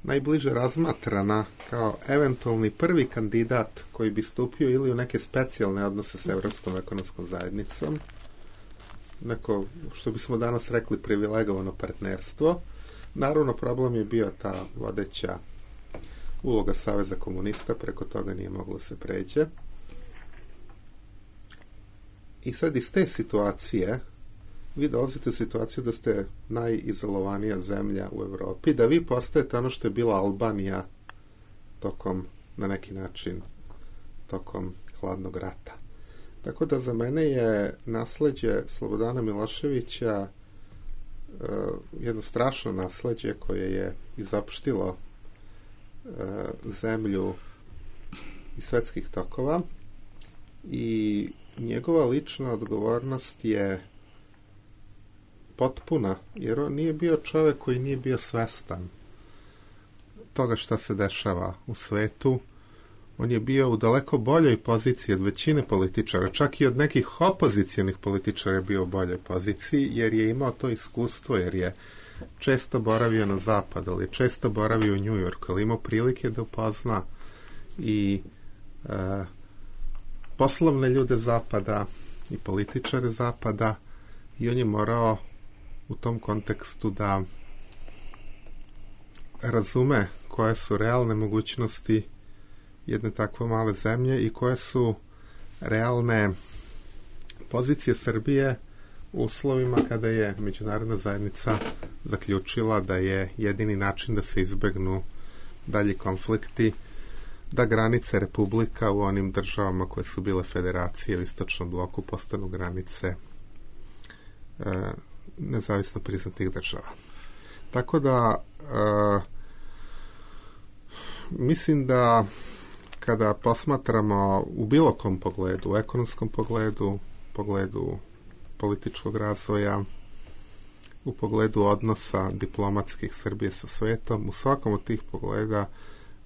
najbliže razmatrana kao eventualni prvi kandidat koji bi stupio ili u neke specijalne odnose s Evropskom ekonomskom zajednicom, neko, što bismo danas rekli, privilegovano partnerstvo. Naravno, problem je bio ta vodeća uloga Saveza komunista, preko toga nije moglo se pređe. I sad iz te situacije vi dolazite u situaciju da ste najizolovanija zemlja u Evropi, da vi postajete ono što je bila Albanija tokom, na neki način, tokom hladnog rata. Tako da za mene je nasleđe Slobodana Miloševića uh, jedno strašno nasleđe koje je izopštilo uh, zemlju iz svetskih tokova i njegova lična odgovornost je potpuna, jer on nije bio čovjek koji nije bio svestan toga šta se dešava u svetu. On je bio u daleko boljoj poziciji od većine političara, čak i od nekih opozicijonih političara je bio u boljoj poziciji, jer je imao to iskustvo, jer je često boravio na zapadu, ali je često boravio u New Yorku, ali imao prilike da upozna i e, poslovne ljude zapada i političare zapada, i on je morao u tom kontekstu da razume koje su realne mogućnosti jedne takve male zemlje i koje su realne pozicije Srbije u uslovima kada je međunarodna zajednica zaključila da je jedini način da se izbegnu dalji konflikti, da granice republika u onim državama koje su bile federacije u istočnom bloku postanu granice e, nezavisno priznatih država. Tako da e, mislim da kada posmatramo u bilo kom pogledu, u ekonomskom pogledu, pogledu političkog razvoja, u pogledu odnosa diplomatskih Srbije sa svetom, u svakom od tih pogleda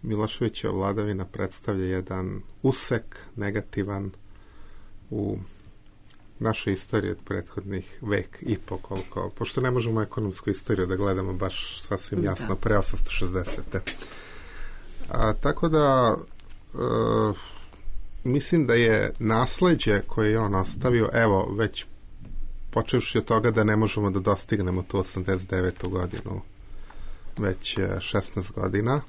Miloševićeva vladavina predstavlja jedan usek negativan u našoj istoriji od prethodnih vek i po koliko, pošto ne možemo ekonomsku istoriju da gledamo baš sasvim jasno pre osamsto šezdesete. A, tako da e, mislim da je nasleđe koje je on ostavio, evo, već počevši od toga da ne možemo da dostignemo tu osamdeset devetu godinu već šesnaest godina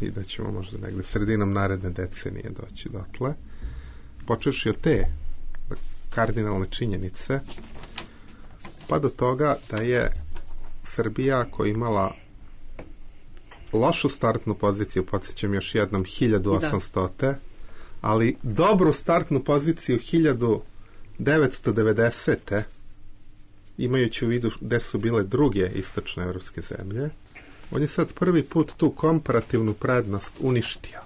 i da ćemo možda negde sredinom naredne decenije doći dotle. Počevši od te kardinalne činjenice pa do toga da je Srbija koja imala lošu startnu poziciju, podsjećam još jednom, hiljadu osamsto. Da. ali dobru startnu poziciju hiljadu devetsto devedesete imajući u vidu gde su bile druge istočne evropske zemlje, on je sad prvi put tu komparativnu prednost uništio.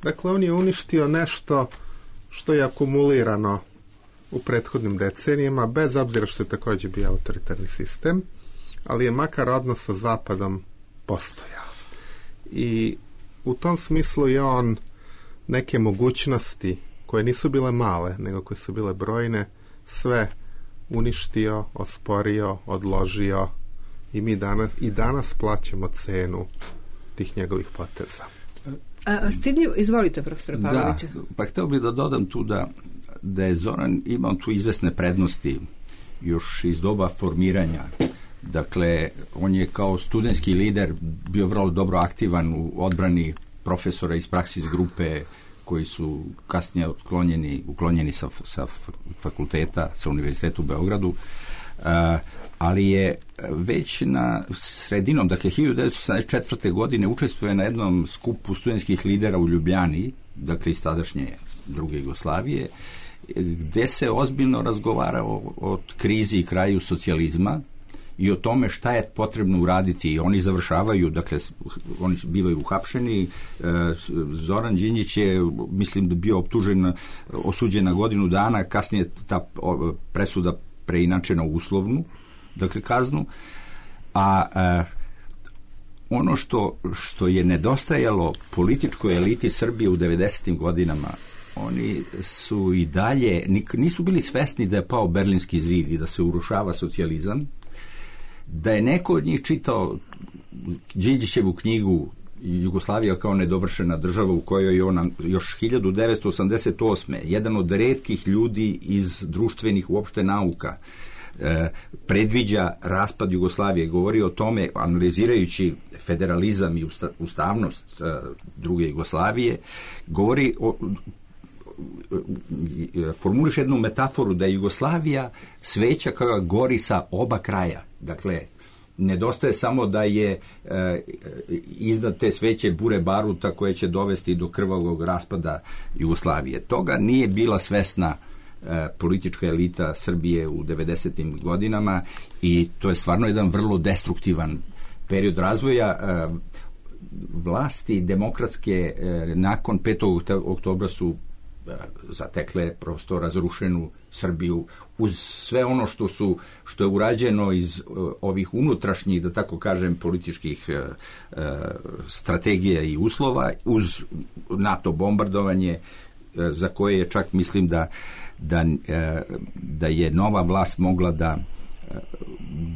Dakle, on je uništio nešto što je akumulirano u prethodnim decenijama, bez obzira što je također bio autoritarni sistem, ali je makar odnos sa Zapadom postojao. I u tom smislu je on neke mogućnosti koje nisu bile male, nego koje su bile brojne, sve uništio, osporio, odložio i mi danas, i danas plaćamo cenu tih njegovih poteza. A, stidljivo, izvolite, profesor Pavlović. Da, pa hteo bih da dodam tu da, da je Zoran imao tu izvesne prednosti još iz doba formiranja. Dakle, on je kao studentski lider bio vrlo dobro aktivan u odbrani profesora iz praksis grupe koji su kasnije uklonjeni, uklonjeni sa, sa fakulteta, sa univerzitetu u Beogradu, uh, ali je već na sredinom, dakle hiljadu devetsto sedamdeset četvrte. godine učestvuje na jednom skupu studentskih lidera u Ljubljani, dakle iz tadašnje druge Jugoslavije, gde se ozbiljno razgovara o, o krizi i kraju socijalizma i o tome šta je potrebno uraditi. I oni završavaju, dakle, oni bivaju uhapšeni. Zoran Đinđić je, mislim da bio optužen, osuđen na godinu dana, kasnije ta presuda preinačena u uslovnu, dakle, kaznu. A, a ono što, što je nedostajalo političkoj eliti Srbije u devedesetim godinama, oni su i dalje, nisu bili svesni da je pao Berlinski zid i da se urušava socijalizam, da je neko od njih čitao Đinđićevu knjigu Jugoslavija kao nedovršena država, u kojoj je ona još hiljadu devetsto osamdeset osme. jedan od retkih ljudi iz društvenih uopšte nauka e, predviđa raspad Jugoslavije, govori o tome analizirajući federalizam i usta, ustavnost e, druge Jugoslavije, govori o formuliš jednu metaforu da je Jugoslavija sveća koja gori sa oba kraja. Dakle, nedostaje samo da je e, iznad te sveće bure baruta koje će dovesti do krvavog raspada Jugoslavije. Toga nije bila svesna e, politička elita Srbije u devedesetim godinama i to je stvarno jedan vrlo destruktivan period razvoja. E, vlasti demokratske e, nakon petog oktobra su zatekle prosto razrušenu Srbiju uz sve ono što su što je urađeno iz uh, ovih unutrašnjih, da tako kažem, političkih uh, uh, strategija i uslova, uz NATO bombardovanje uh, za koje je čak mislim da da, uh, da je nova vlast mogla da uh,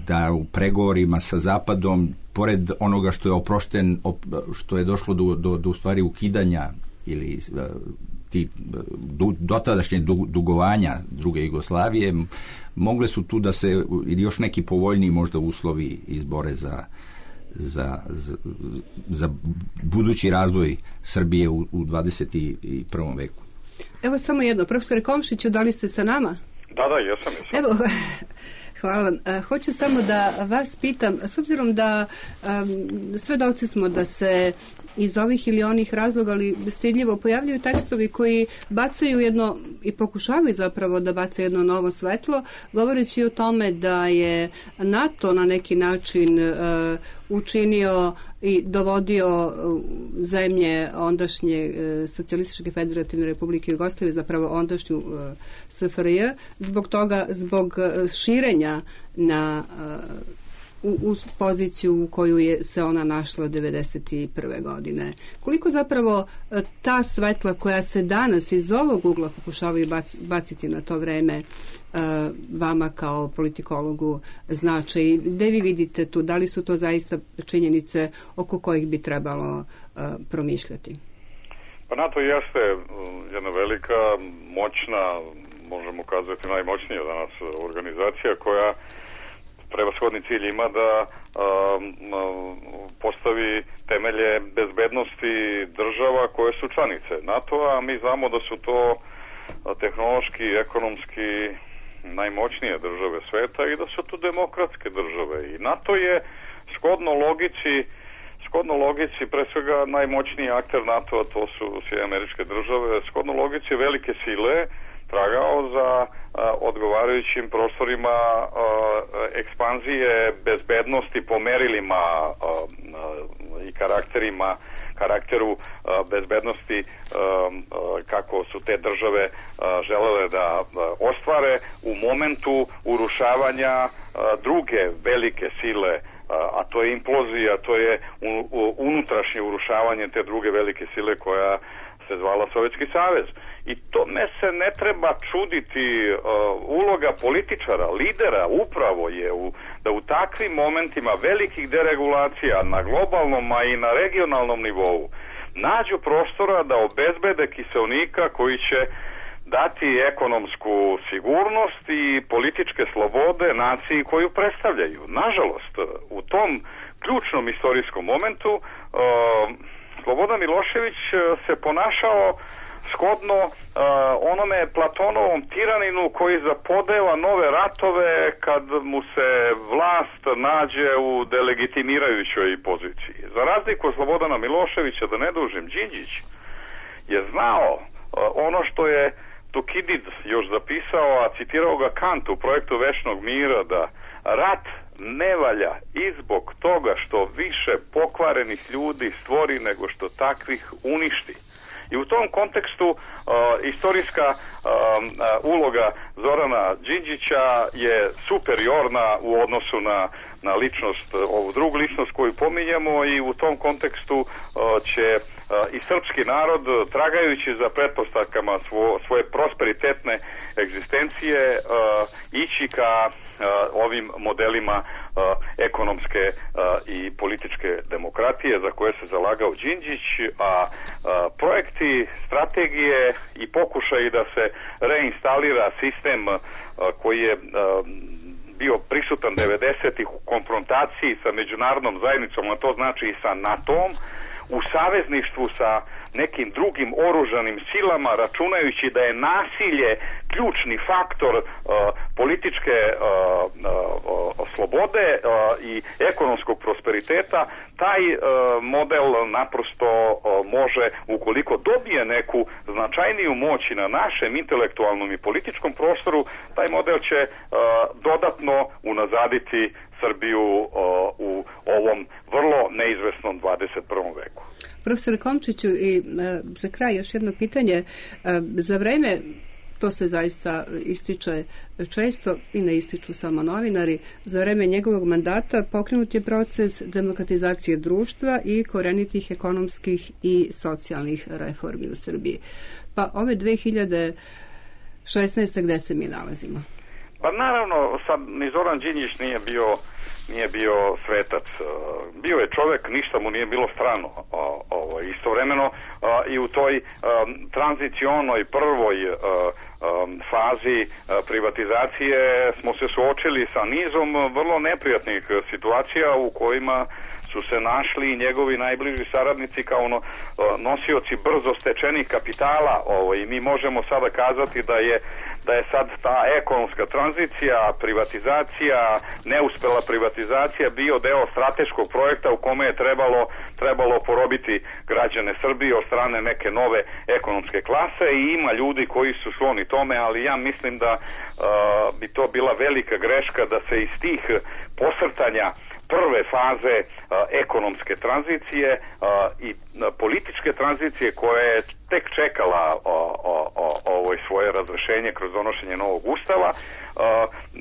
da u pregovorima sa Zapadom, pored onoga što je oprošten, op, što je došlo do, do, do u stvari ukidanja ili uh, ti dotadašnje dugovanja druge Jugoslavije, mogle su tu da se ili još neki povoljniji možda uslovi izbore za, za, za, za budući razvoj Srbije u, u dvadeset prvom veku. Evo samo jedno, profesore Komšiću, da li ste sa nama? Da, da, jesam, jesam. Evo, hvala vam. Hoću samo da vas pitam, s obzirom da um, svedoci smo da se iz ovih ili onih razloga, ali stidljivo pojavljuju tekstovi koji bacaju jedno i pokušavaju zapravo da baca jedno novo svetlo, govoreći o tome da je NATO na neki način uh, učinio i dovodio uh, zemlje ondašnje uh, Socijalističke federativne republike Jugoslavije, zapravo ondašnju uh, S F R J, zbog toga, zbog uh, širenja na uh, U, u poziciju u koju je se ona našla devedeset prve. godine. Koliko zapravo ta svetla koja se danas iz ovog ugla pokušavaju baciti na to vreme vama kao politikologu znači, gde vi vidite tu, da li su to zaista činjenice oko kojih bi trebalo promišljati? Pa NATO jeste jedna velika, moćna, možemo kazati najmoćnija danas organizacija koja prevashodni cilj ima da um, postavi temelje bezbednosti država koje su članice NATO-a, a mi znamo da su to tehnološki i ekonomski najmoćnije države sveta i da su to demokratske države. I NATO je shodno logici shodno logici, pre svega najmoćniji akter NATO-a, to su Sjedinjene Američke Države, shodno logici velike sile tragao za a, odgovarajućim prostorima a, ekspanzije bezbednosti po merilima a, a, i karakterima karakteru a, bezbednosti a, a, kako su te države a, želele da a, ostvare u momentu urušavanja a, druge velike sile, a to je implozija, to je unutrašnje urušavanje te druge velike sile koja se zvala Sovjetski savez. I tome se ne treba čuditi. Uh, uloga političara, lidera upravo je u, da u takvim momentima velikih deregulacija na globalnom, a i na regionalnom nivou nađu prostora da obezbede kiseonika koji će dati ekonomsku sigurnost i političke slobode naciji koju predstavljaju. Nažalost, u tom ključnom istorijskom momentu uh, Slobodan Milošević se ponašao shodno uh, onome Platonovom tiraninu koji zapodeva nove ratove kad mu se vlast nađe u delegitimirajućoj poziciji. Za razliku od Slobodana Miloševića, da ne dužim, Đinđić je znao uh, ono što je Tukidid još zapisao, a citirao ga Kant u projektu Večnog mira, da rat ne valja i zbog toga što više pokvarenih ljudi stvori nego što takvih uništi. I u tom kontekstu uh, istorijska uh, uh, uloga Zorana Đinđića je superiorna u odnosu na, na ličnost, ovu drugu ličnost koju pominjemo, i u tom kontekstu uh, će uh, i srpski narod, tragajući za pretpostavkama svo, svoje prosperitetne egzistencije, uh, ići ka Uh, ovim modelima uh, ekonomske uh, i političke demokratije za koje se zalagao Đinđić, a uh, projekti, strategije i pokušaji da se reinstalira sistem uh, koji je uh, bio prisutan devedesetih u konfrontaciji sa međunarodnom zajednicom, a to znači i sa NATO-om, u savezništvu sa nekim drugim oružanim silama, računajući da je nasilje ključni faktor uh, političke uh, uh, slobode uh, i ekonomskog prosperiteta, taj uh, model naprosto uh, može, ukoliko dobije neku značajniju moć na našem intelektualnom i političkom prostoru, taj model će uh, dodatno unazaditi Srbiju uh, u ovom vrlo neizvesnom dvadeset prvom veku. Profesore Komčiću, i e, za kraj još jedno pitanje. E, za vreme, to se zaista ističe često i ne ističu samo novinari, za vreme njegovog mandata pokrenut je proces demokratizacije društva i korenitih ekonomskih i socijalnih reformi u Srbiji. Pa ove dve hiljade šesnaeste. gde se mi nalazimo? Pa naravno, sad ni Zoran Đinđić nije bio nije bio svetac. Bio je čovjek, ništa mu nije bilo strano. Ovo, istovremeno i u toj tranzicionoj prvoj fazi privatizacije smo se suočili sa nizom vrlo neprijatnih situacija u kojima su se našli i njegovi najbliži saradnici kao no, nosioci brzo stečenih kapitala. Ovo, i mi možemo sada kazati da je da je sad ta ekonomska tranzicija, privatizacija, neuspela privatizacija bio deo strateškog projekta u kome je trebalo, trebalo porobiti građane Srbije od strane neke nove ekonomske klase, i ima ljudi koji su skloni tome, ali ja mislim da uh, bi to bila velika greška da se iz tih posrtanja prve faze uh, ekonomske tranzicije uh, i uh, političke tranzicije koja je tek čekala uh, uh, uh, ovo svoje razrešenje kroz donošenje novog ustava, uh,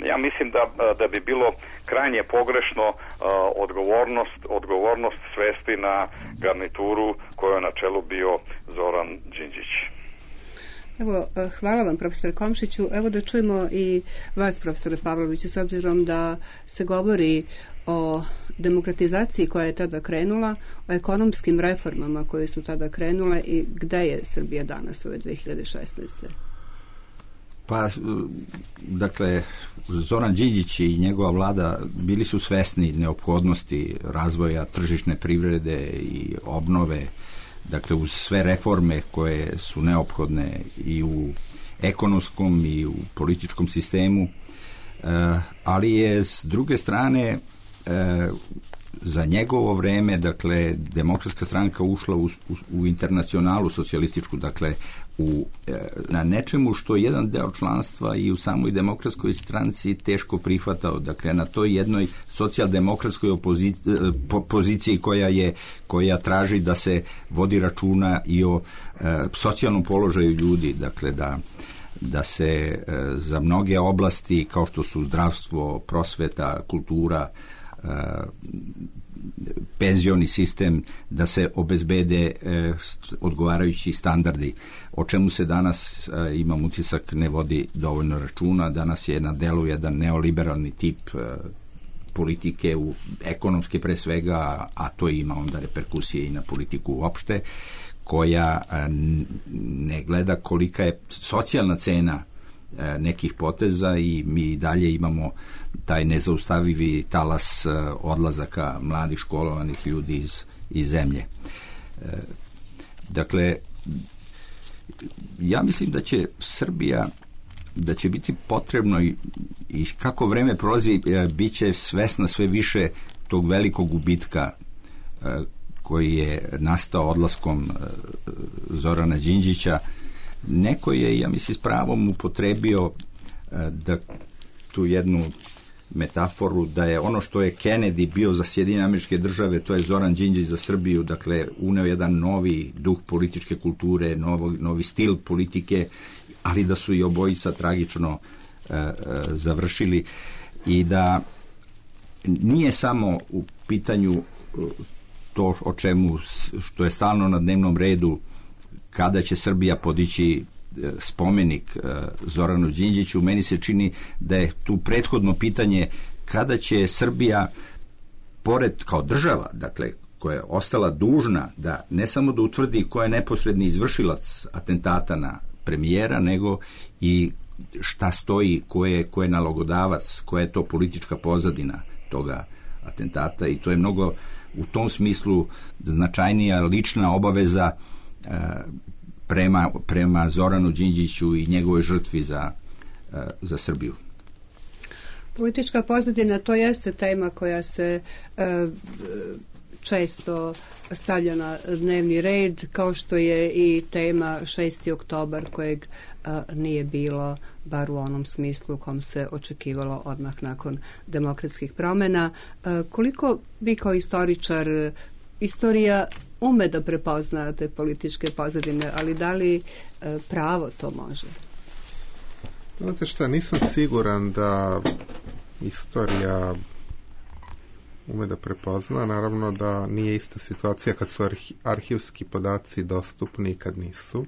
ja mislim da, uh, da bi bilo krajnje pogrešno uh, odgovornost, odgovornost svesti na garnituru koju je na čelu bio Zoran Đinđić. Evo, hvala vam, profesore Komšiću. Evo da čujemo i vas, profesore Pavloviću, s obzirom da se govori o demokratizaciji koja je tada krenula, o ekonomskim reformama koje su tada krenule, i gde je Srbija danas ove dve hiljade šesnaeste. Pa, dakle, Zoran Đinđić i njegova vlada bili su svesni neophodnosti razvoja tržišne privrede i obnove, dakle, uz sve reforme koje su neophodne i u ekonomskom i u političkom sistemu, ali je s druge strane za njegovo vreme, dakle, Demokratska stranka ušla u, u, u internacionalu socijalističku, dakle, u, na nečemu što jedan deo članstva i u samoj Demokratskoj stranci teško prihvatao, dakle, na toj jednoj socijaldemokratskoj opoziciji, poziciji koja je, koja traži da se vodi računa i o e, socijalnom položaju ljudi, dakle, da da se e, za mnoge oblasti kao što su zdravstvo, prosveta, kultura, e, penzioni sistem, da se obezbede e, odgovarajući standardi, o čemu se danas, e, imam utisak, ne vodi dovoljno računa. Danas je na delu jedan neoliberalni tip e, politike, u ekonomske pre svega, a to ima onda reperkusije i na politiku uopšte, koja ne gleda kolika je socijalna cena nekih poteza i mi dalje imamo taj nezaustavivi talas odlazaka mladih školovanih ljudi iz, iz zemlje. Dakle, ja mislim da će Srbija, da će biti potrebno i, i kako vreme prolazi, bit će svesna sve više tog velikog gubitka koji je nastao odlaskom Zorana Đinđića. Neko je, ja mislim, s pravom upotrebio da tu jednu metaforu, da je ono što je Kennedy bio za Sjedinjene Američke Države, to je Zoran Đinđić za Srbiju, dakle, uneo jedan novi duh političke kulture, novi, novi stil politike, ali da su i obojica tragično e, e, završili i da nije samo u pitanju to o čemu, što je stalno na dnevnom redu, kada će Srbija podići spomenik Zoranu Đinđiću. Meni se čini da je tu prethodno pitanje kada će Srbija, pored kao država, dakle, koja je ostala dužna da ne samo da utvrdi ko je neposredni izvršilac atentata na premijera, nego i šta stoji, ko je, ko je nalogodavac, koja je to politička pozadina toga atentata, i to je mnogo u tom smislu značajnija lična obaveza e, prema, prema Zoranu Đinđiću i njegovoj žrtvi za, e, za Srbiju. Politička pozadina, to jeste tema koja se e, često stavlja na dnevni red, kao što je i tema šesti oktobar, kojeg a, nije bilo, bar u onom smislu u kom se očekivalo odmah nakon demokratskih promjena. A, koliko vi kao istoričar, istorija ume da prepozna te političke pozadine, ali da li a, pravo to može? Znate šta, nisam siguran da istorija ume da prepozna. Naravno da nije ista situacija kad su arhi, arhivski podaci dostupni i kad nisu.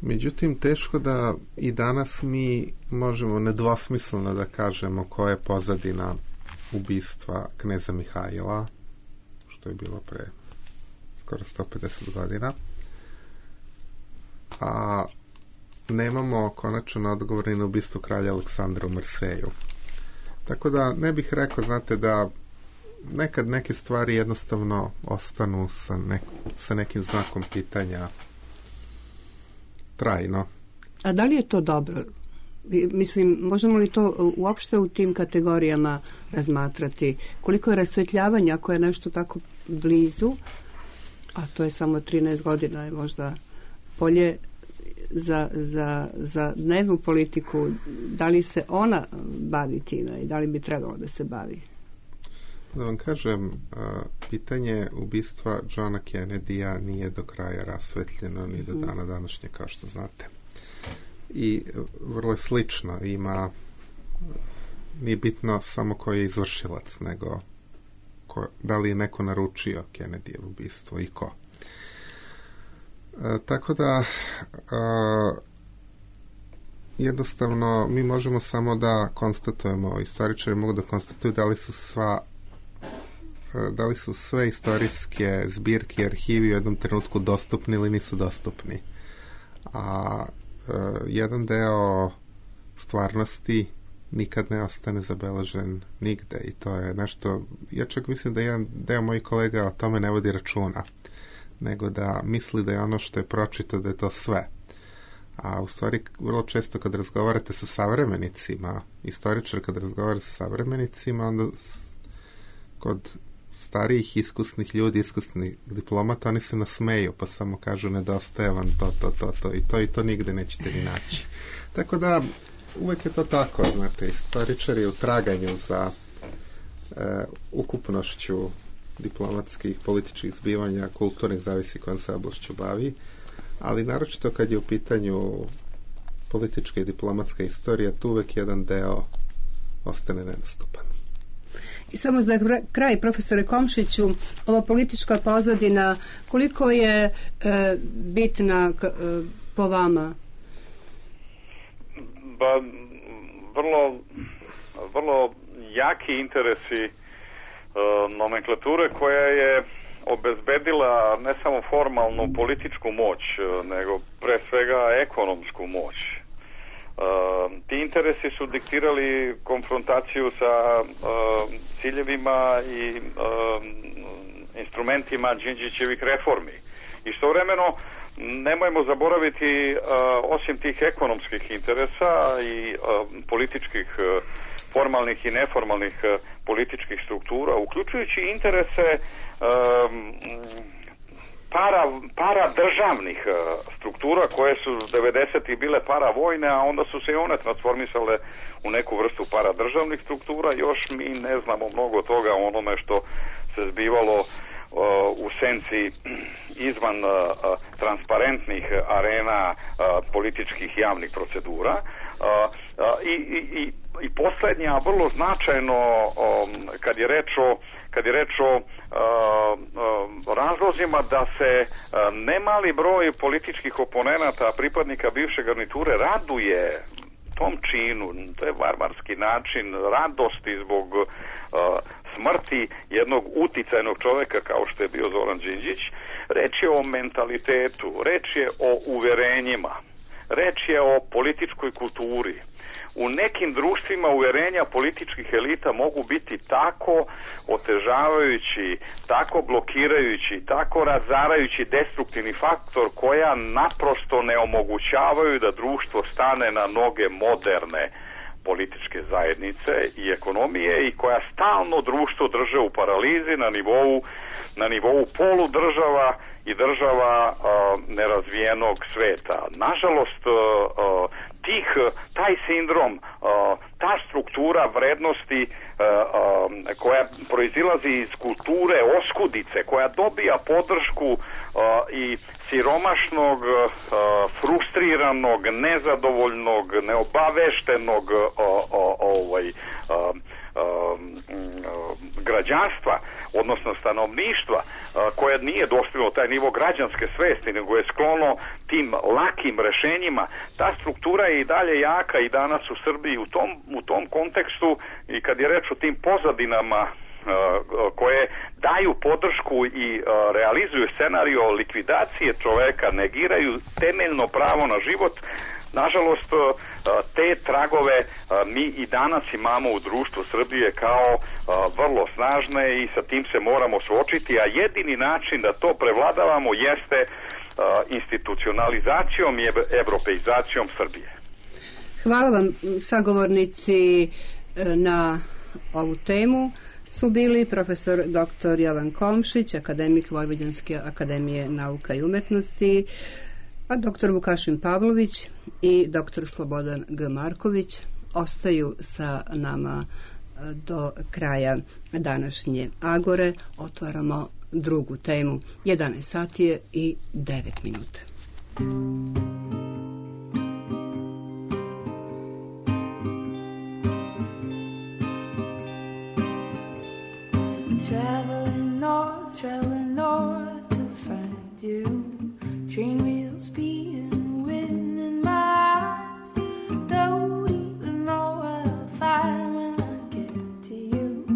Međutim, teško da i danas mi možemo nedvosmisleno da kažemo koja je pozadina ubistva kneza Mihajla, što je bilo pre skoro sto pedeset godina. A nemamo konačan odgovor na ubistvo kralja Aleksandra u Marseju. Tako da ne bih rekao, znate, da nekad neke stvari jednostavno ostanu sa, nek, sa nekim znakom pitanja trajno. A da li je to dobro? Mislim, možemo li to uopšte u tim kategorijama razmatrati? Koliko je rasvetljavanja ako je nešto tako blizu, a to je samo trinaest godina, je možda bolje za, za, za dnevnu politiku, da li se ona bavi time i da li bi trebalo da se bavi? Da vam kažem, pitanje ubistva Johna Kennedy-a nije do kraja rasvetljeno ni do dana današnje, kao što znate. I vrlo je slično, ima, nije bitno samo ko je izvršilac, nego ko, da li je neko naručio Kennedyjevo ubistvo i ko. E, tako da e, jednostavno mi možemo samo da konstatujemo, istoričari mogu da konstatuju da li su sva e, da li su sve istorijske zbirke i arhivi u jednom trenutku dostupni ili nisu dostupni. A e, jedan deo stvarnosti nikad ne ostane zabeležen nigde i to je nešto, ja čak mislim da jedan deo mojih kolega o tome ne vodi računa, nego da misli da je ono što je pročito da je to sve. A u stvari vrlo često kad razgovarate sa savremenicima, istoričar kad razgovara sa savremenicima, onda kod starijih iskusnih ljudi, iskusnih diplomata, oni se nasmeju, pa samo kažu nedostaje vam to, to, to, to i to i to nigde nećete ni naći. Tako da, uvek je to tako, znate, istoričar je u traganju za e, ukupnošću diplomatskih, političkih zbivanja, kulturnih, zavisi kojom se oblašću bavi, ali naročito kad je u pitanju politička i diplomatska istorija, tu uvek jedan deo ostane nedostupan. I samo za kraj, profesore Komšiću, ova politička pozadina, koliko je e, bitna k, e, po vama? Ba, vrlo, vrlo jaki interesi e, nomenklature koja je obezbedila ne samo formalnu političku moć, nego pre svega ekonomsku moć. Uh, ti interesi su diktirali konfrontaciju sa uh, ciljevima i uh, instrumentima Đinđićevih reformi. Istovremeno, nemojmo zaboraviti, uh, osim tih ekonomskih interesa i uh, političkih, uh, formalnih i neformalnih uh, političkih struktura, uključujući interese uh, para, para državnih uh, struktura koje su devedesetih bile paravojne, a onda su se i one transformisale u neku vrstu paradržavnih struktura. Još mi ne znamo mnogo toga o onome što se zbivalo uh, u senci izvan uh, transparentnih arena uh, političkih javnih procedura. Uh, uh, i, i, i, i posljednja, vrlo značajno um, kad je reč o kad je reč o uh, uh, razlozima da se uh, nemali broj političkih oponenata, pripadnika bivše garniture raduje tom činu, to je varvarski način radosti zbog uh, smrti jednog uticajnog čoveka kao što je bio Zoran Đinđić. Reč je o mentalitetu, reč je o uverenjima, reč je o političkoj kulturi. U nekim društvima uverenja političkih elita mogu biti tako otežavajući, tako blokirajući, tako razarajući destruktivni faktor koja naprosto ne omogućavaju da društvo stane na noge moderne političke zajednice i ekonomije i koja stalno društvo drže u paralizi na nivou, na nivou poludržava i država uh, nerazvijenog sveta. Nažalost, uh, uh, tih, taj sindrom, uh, ta struktura vrednosti uh, uh, koja proizilazi iz kulture oskudice, koja dobija podršku uh, i siromašnog, uh, frustriranog, nezadovoljnog, neobaveštenog uh, uh, ovaj, uh, građanstva, odnosno stanovništva, koje nije dostiglo taj nivo građanske svesti, nego je sklono tim lakim rešenjima. Ta struktura je i dalje jaka i danas u Srbiji. U tom, u tom kontekstu, i kad je reč o tim pozadinama koje daju podršku i realizuju scenario likvidacije čoveka, negiraju temeljno pravo na život, nažalost, te tragove mi i danas imamo u društvu Srbije kao vrlo snažne i sa tim se moramo suočiti, a jedini način da to prevladavamo jeste institucionalizacijom i evropeizacijom Srbije. Hvala vam, sagovornici na ovu temu su bili profesor doktor Jovan Komšić, akademik Vojvođanske akademije nauka i umetnosti, a doktor Vukašin Pavlović i doktor Slobodan G. Marković ostaju sa nama do kraja današnje Agore. Otvaramo drugu temu. jedanaest sati je i devet minuta. Traveling north, traveling north to find you. Train wheels speeding, wind in my eyes. Don't even know what I'll find when I get to you.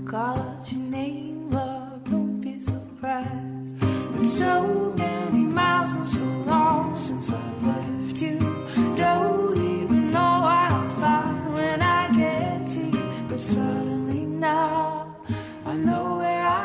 Call out your name, love, don't be surprised. It's so many miles and so long since I've left you. Don't even know what I'll find when I get to you. But suddenly now I know where I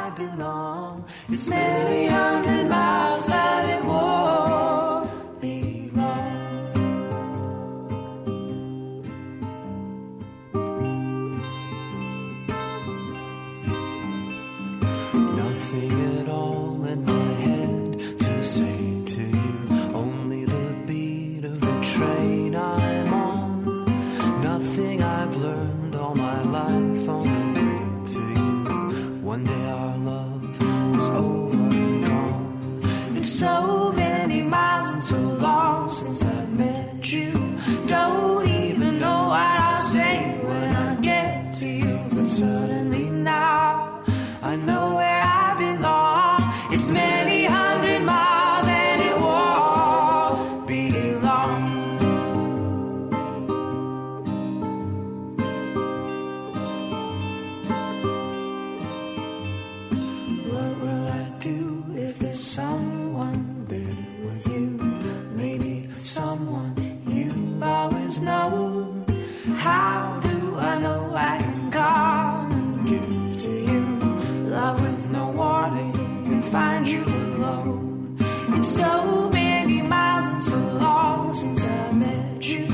know? How do I know I can come and give to you love with no warning and find you alone? It's so many miles and so long since I met you.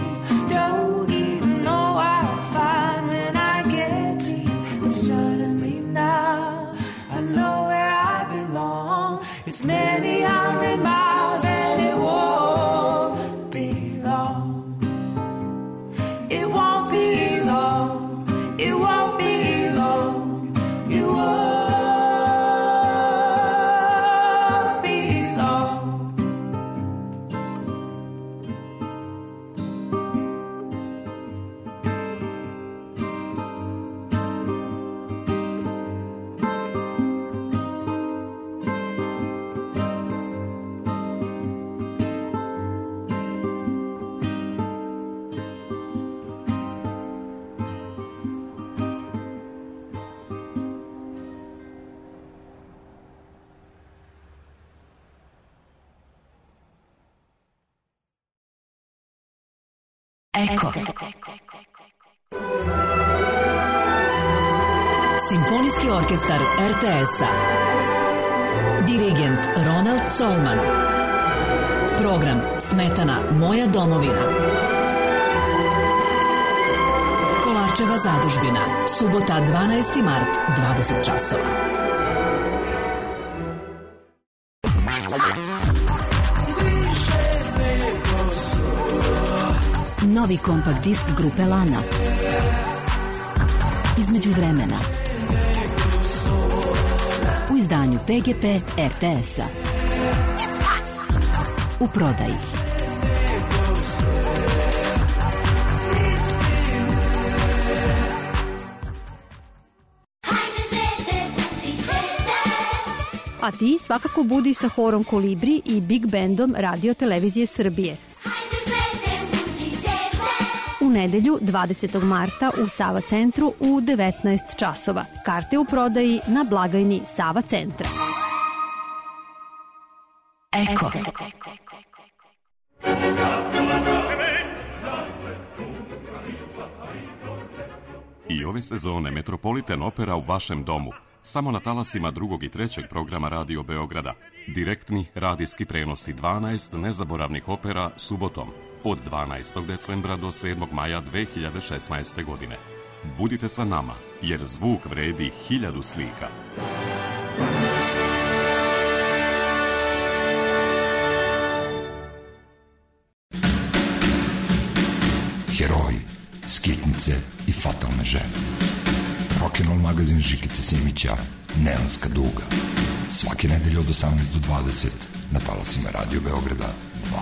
Don't even know what I'll find when I get to you. But suddenly now I know where I belong. It's many hundred miles and it won't be long. It won't be long. It won't be long. It won't. Eko. Simfonijski orkestar er te es-a. Dirigent Ronald Colman. Program Smetana Moja domovina. Kolarčeva zadužbina. Subota dvanaesti mart, dvadeset časova. Novi kompakt disk grupe Lana. Između vremena. U izdanju Pe Ge Pe er te es-a. U prodaji. A ti svakako budi sa horom Kolibri i Big Bandom Radio Televizije Srbije. U nedelju dvadesetog marta u Sava centru u devetnaest časova. Karte u prodaji na blagajni Sava centra. Eko. I ove sezone Metropolitan Opera u vašem domu. Samo na talasima drugog i trećeg programa Radio Beograda. Direktni radijski prenosi dvanaest nezaboravnih opera subotom od dvanaestog decembra do sedmog maja dve hiljade šesnaeste. godine. Budite sa nama, jer zvuk vredi hiljadu slika. Heroji, skitnice i fatalne žene. Rock'n'roll magazin Žikice Simića, Neonska duga. Svake nedelje od osamnaest do dvadeset na talasima Radio Beograda dva.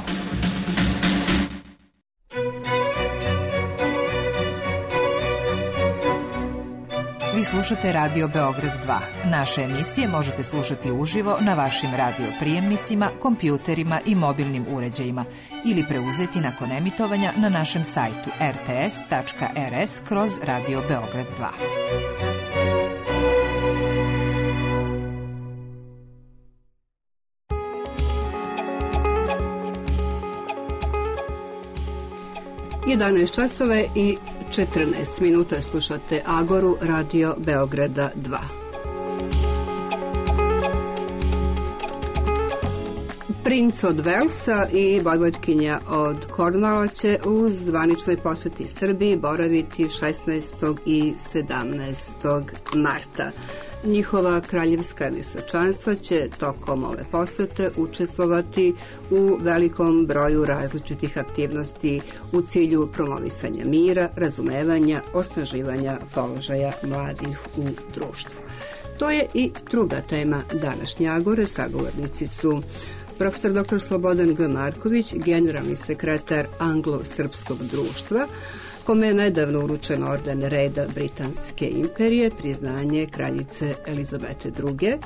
Vi slušate Radio Beograd dva. Naše emisije možete slušati uživo na vašim radio prijemnicima, kompjuterima i mobilnim uređajima ili preuzeti nakon emitovanja na našem sajtu er te es tačka er es kroz Radio Beograd dva. jedanaest časova i četrnaest minuta slušate Agoru Radio Beograda dva. Princ od Velsa i vojvodkinja od Kornvala će u zvaničnoj poseti Srbiji boraviti šesnaestog i sedamnaestog marta. Njihova kraljevska visočanstva će tokom ove posete učestvovati u velikom broju različitih aktivnosti u cilju promovisanja mira, razumevanja, osnaživanja položaja mladih u društvu. To je i druga tema današnje Agore. Sagovornici su profesor doktor Slobodan G. Marković, generalni sekretar Anglo-srpskog društva, kome je nedavno uručen orden reda Britanske imperije, priznanje kraljice Elizabete druge,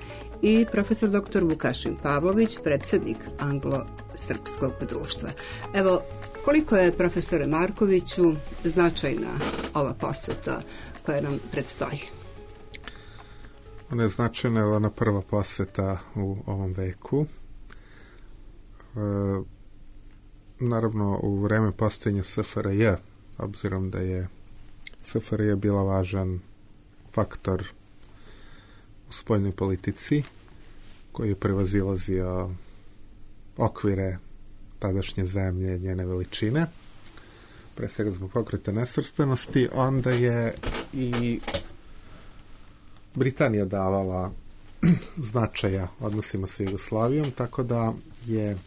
i profesor doktor Vukašin Pavlović, predsjednik Anglo-srpskog društva. Evo, koliko je, profesore Markoviću, značajna ova poseta koja nam predstoji? Ona je značajna, je ona prva poseta u ovom veku. E, naravno, u vreme postojanja S F R J obzirom da je S F R J bila važan faktor u spoljnoj politici koji je prevazilazio okvire tadašnje zemlje, njene veličine, pre svega zbog pokreta nesvrstanosti, onda je i Britanija davala značaja odnosima sa Jugoslavijom, tako da je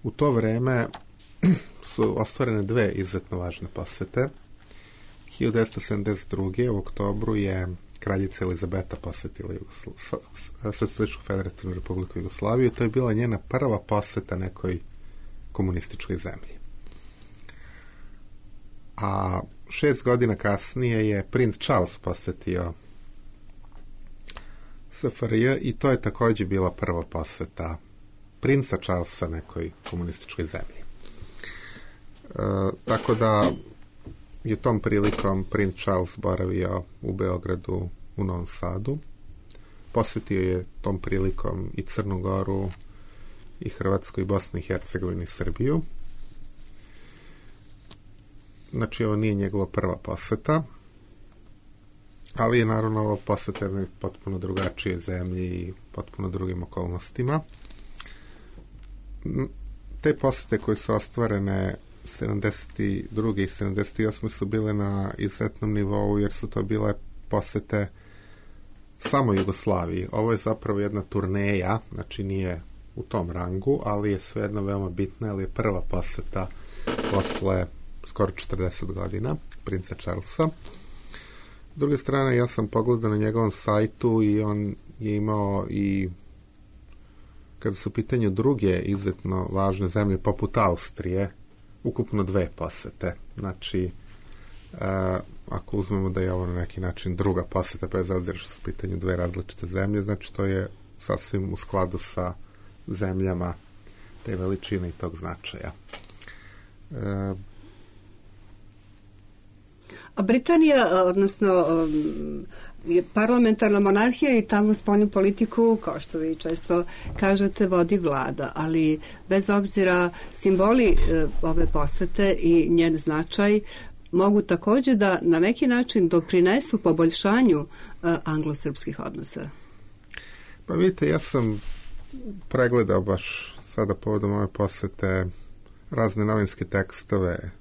u to vreme su ostvarene dve izuzetno važne posete. hiljadu devetsto sedamdeset druge u oktobru je kraljica Elizabeta posetila Socijalističku federativnu republiku Jugoslaviju. To je bila njena prva poseta nekoj komunističkoj zemlji. A šest godina kasnije je princ Charles posetio S F R J i to je također bila prva poseta princa Charlesa nekoj komunističkoj zemlji. E, tako da je tom prilikom princ Charles boravio u Beogradu, u Novom Sadu. Posetio je tom prilikom i Crnu Goru, i Hrvatsku, i Bosnu i Hercegovinu, i Srbiju. Znači, ovo nije njegova prva poseta, ali je naravno ovo poseta jednoj potpuno drugačije zemlji i potpuno drugim okolnostima. Te posete koje su ostvarene sedamdeset druge i sedamdeset osme su bile na izuzetnom nivou, jer su to bile posete samo Jugoslaviji. Ovo je zapravo jedna turneja, znači nije u tom rangu, ali je svejedno veoma bitna, ali je prva poseta posle skoro četrdeset godina princa Charlesa. S druge strane, ja sam pogledao na njegovom sajtu i on je imao i, kada su u pitanju druge izuzetno važne zemlje poput Austrije, ukupno dve posete. Znači, e, ako uzmemo da je ovo na neki način druga poseta, bez obzira što su u pitanju dve različite zemlje, znači to je sasvim u skladu sa zemljama te veličine i tog značaja. E, A Britanija, odnosno je parlamentarna monarhija i tamo spoljnu politiku, kao što vi često kažete, vodi vlada, ali bez obzira simboli ove posete i njen značaj mogu također da na neki način doprinesu poboljšanju anglo-srpskih odnosa. Pa vidite, ja sam pregledao baš sada povodom ove posete razne novinske tekstove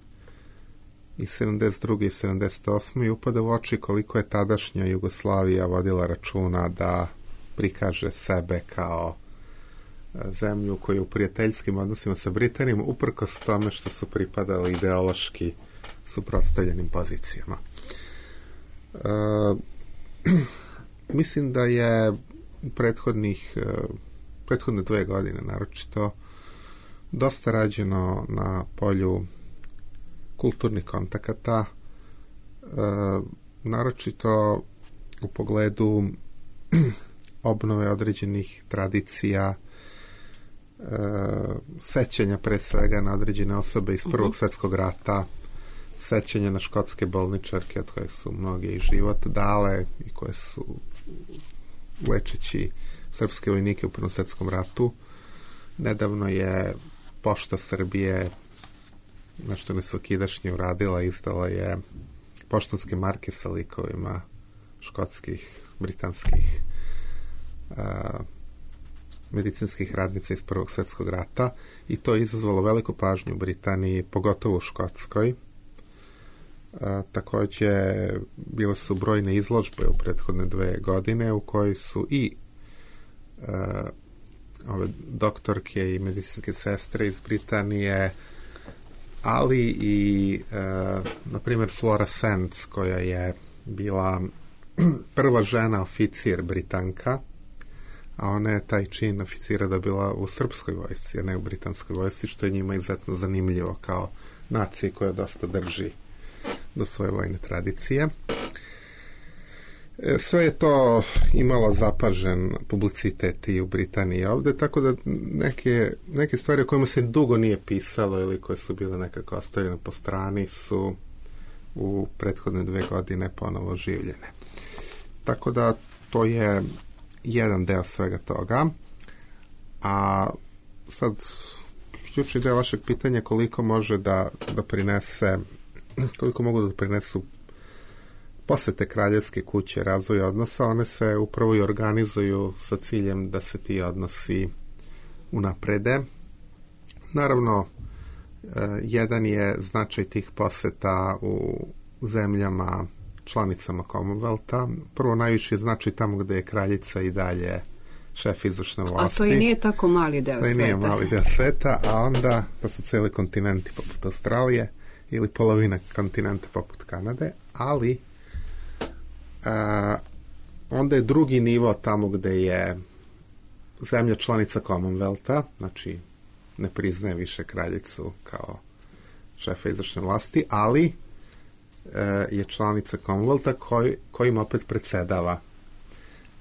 i sedamdeset druge i sedamdeset osme i upada u oči koliko je tadašnja Jugoslavija vodila računa da prikaže sebe kao zemlju koja je u prijateljskim odnosima sa Britanijom, uprkos tome što su pripadali ideološki suprotstavljenim pozicijama. E, mislim da je u prethodnih prethodne dve godine naročito dosta rađeno na polju kulturnih kontakata, e, naročito u pogledu obnove određenih tradicija, e, sećanja pre svega na određene osobe iz Prvog svjetskog rata, sećanja na škotske bolničarke od kojih su mnoge i život dale i koje su lečeći srpske vojnike u Prvom svjetskom ratu. Nedavno je Pošta Srbije, nešto nesvakidašnje uradila, izdala je poštanske marke sa likovima škotskih, britanskih a, medicinskih radnica iz Prvog svjetskog rata i to je izazvalo veliku pažnju u Britaniji, pogotovo u Škotskoj. A, također bile su brojne izložbe u prethodne dve godine u kojoj su i a, ove doktorke i medicinske sestre iz Britanije, ali i e, na primjer Flora Sands, koja je bila prva žena oficir Britanka, a ona je taj čin oficira dobila u srpskoj vojsci, a ne u britanskoj vojsci, što je njima izuzetno zanimljivo kao naciji koja dosta drži do svoje vojne tradicije. Sve je to imalo zapažen publicitet i u Britaniji ovde, tako da neke, neke stvari o kojima se dugo nije pisalo ili koje su bile nekako ostavljene po strani su u prethodne dve godine ponovo življene. Tako da to je jedan deo svega toga. A sad ključni deo vašeg pitanja koliko može da doprinese koliko mogu da doprinesu posete kraljevske kuće, razvoj odnosa, one se upravo i organizuju sa ciljem da se ti odnosi unaprede. Naravno, jedan je značaj tih poseta u zemljama članicama Commonwealtha. Prvo, najviše je značaj tamo gde je kraljica i dalje šef izvršne vlasti. A to i nije tako mali deo sveta. To i nije mali deo sveta, a onda da su cijeli kontinenti poput Australije ili polovina kontinenta poput Kanade, ali a, onda je drugi nivo tamo gde je zemlja članica Commonwealtha, znači ne priznaje više kraljicu kao šefa izvršne vlasti, ali e, je članica Commonwealtha koj, kojim opet predsedava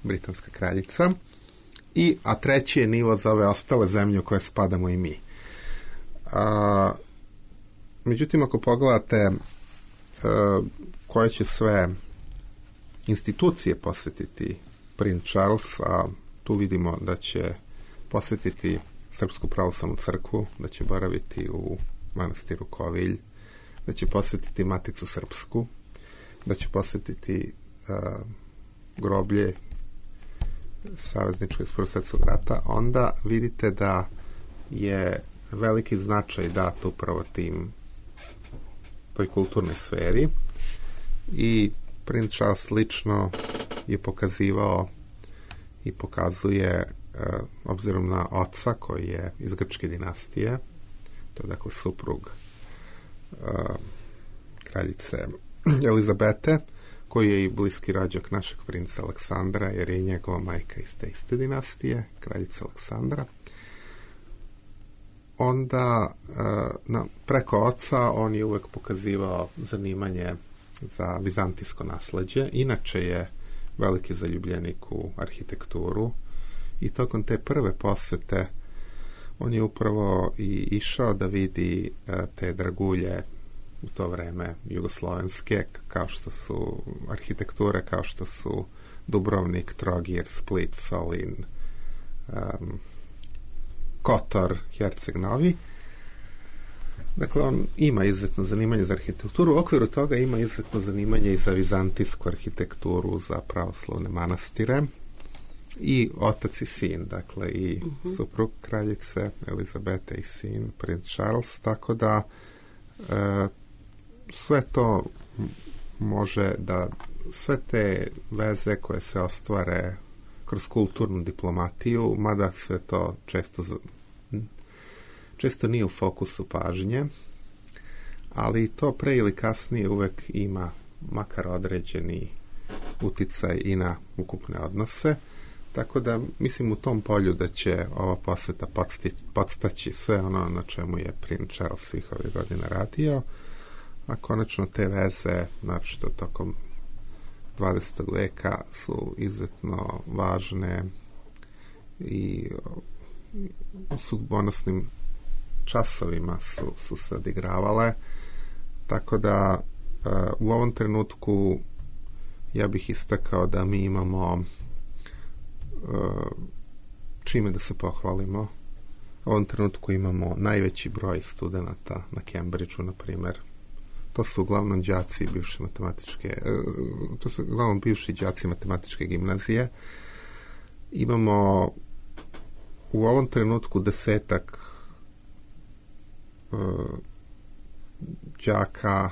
britanska kraljica. I, a treći je nivo za ove ostale zemlje u koje spadamo i mi. A, međutim, ako pogledate a, koje će sve institucije posjetiti princ Charles, a tu vidimo da će posjetiti Srpsku pravoslavnu crkvu, da će boraviti u manastiru Kovilj, da će posjetiti Maticu Srpsku, da će posjetiti a, groblje savezničkog iz Prvog svjetskog rata, onda vidite da je veliki značaj dat upravo tim toj kulturnoj sferi i princ Charles lično je pokazivao i pokazuje, obzirom na oca koji je iz grčke dinastije, to je dakle suprug kraljice Elizabete, koji je i bliski rođak našeg princa Aleksandra, jer je i njegova majka iz te iste dinastije, kraljica Aleksandra. Onda, na, preko oca, on je uvek pokazivao zanimanje za vizantijsko nasleđe. Inače je veliki zaljubljenik u arhitekturu i tokom te prve posete on je upravo i išao da vidi te dragulje u to vreme jugoslovenske, kao što su arhitekture, kao što su Dubrovnik, Trogir, Split, Solin, um, Kotor, Herceg Novi. Dakle, on ima izuzetno zanimanje za arhitekturu. U okviru toga ima izuzetno zanimanje i za vizantijsku arhitekturu, za pravoslavne manastire. I otac i sin, dakle, i uh-huh. suprug kraljice Elizabete i sin, princ Charles, tako da e, sve to može da, sve te veze koje se ostvare kroz kulturnu diplomatiju, mada sve to često često nije u fokusu pažnje, ali to pre ili kasnije uvek ima makar određeni uticaj i na ukupne odnose, tako da mislim u tom polju da će ova poseta podstaći sve ono na čemu je princ Charles svih ovih godina radio, a konačno te veze, znači što tokom dvadesetog veka su izuzetno važne i u sudbonosnim časovima su, su se odigravale, tako da uh, u ovom trenutku ja bih istakao da mi imamo uh, čime da se pohvalimo. U ovom trenutku imamo najveći broj studenata na Cambridgeu, na primjer. To su uglavnom đaci bivše matematičke, uh, to su uglavnom bivši đaci matematičke gimnazije. Imamo u ovom trenutku desetak đaka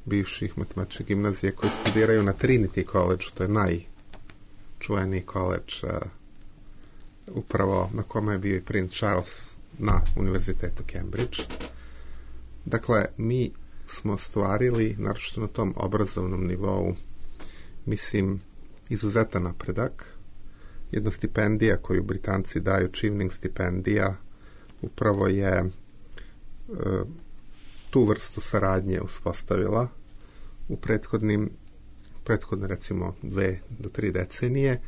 bivših matematičkih gimnazije koji studiraju na Trinity College, to je najčuveniji college uh, upravo na kome je bio i princ Charles na univerzitetu Cambridge. Dakle, mi smo ostvarili, naročito na tom obrazovnom nivou, mislim, izuzetan napredak. Jedna stipendija koju Britanci daju, Chevening stipendija, upravo je tu vrstu saradnje uspostavila u prethodnim prethodne recimo dve do tri decenije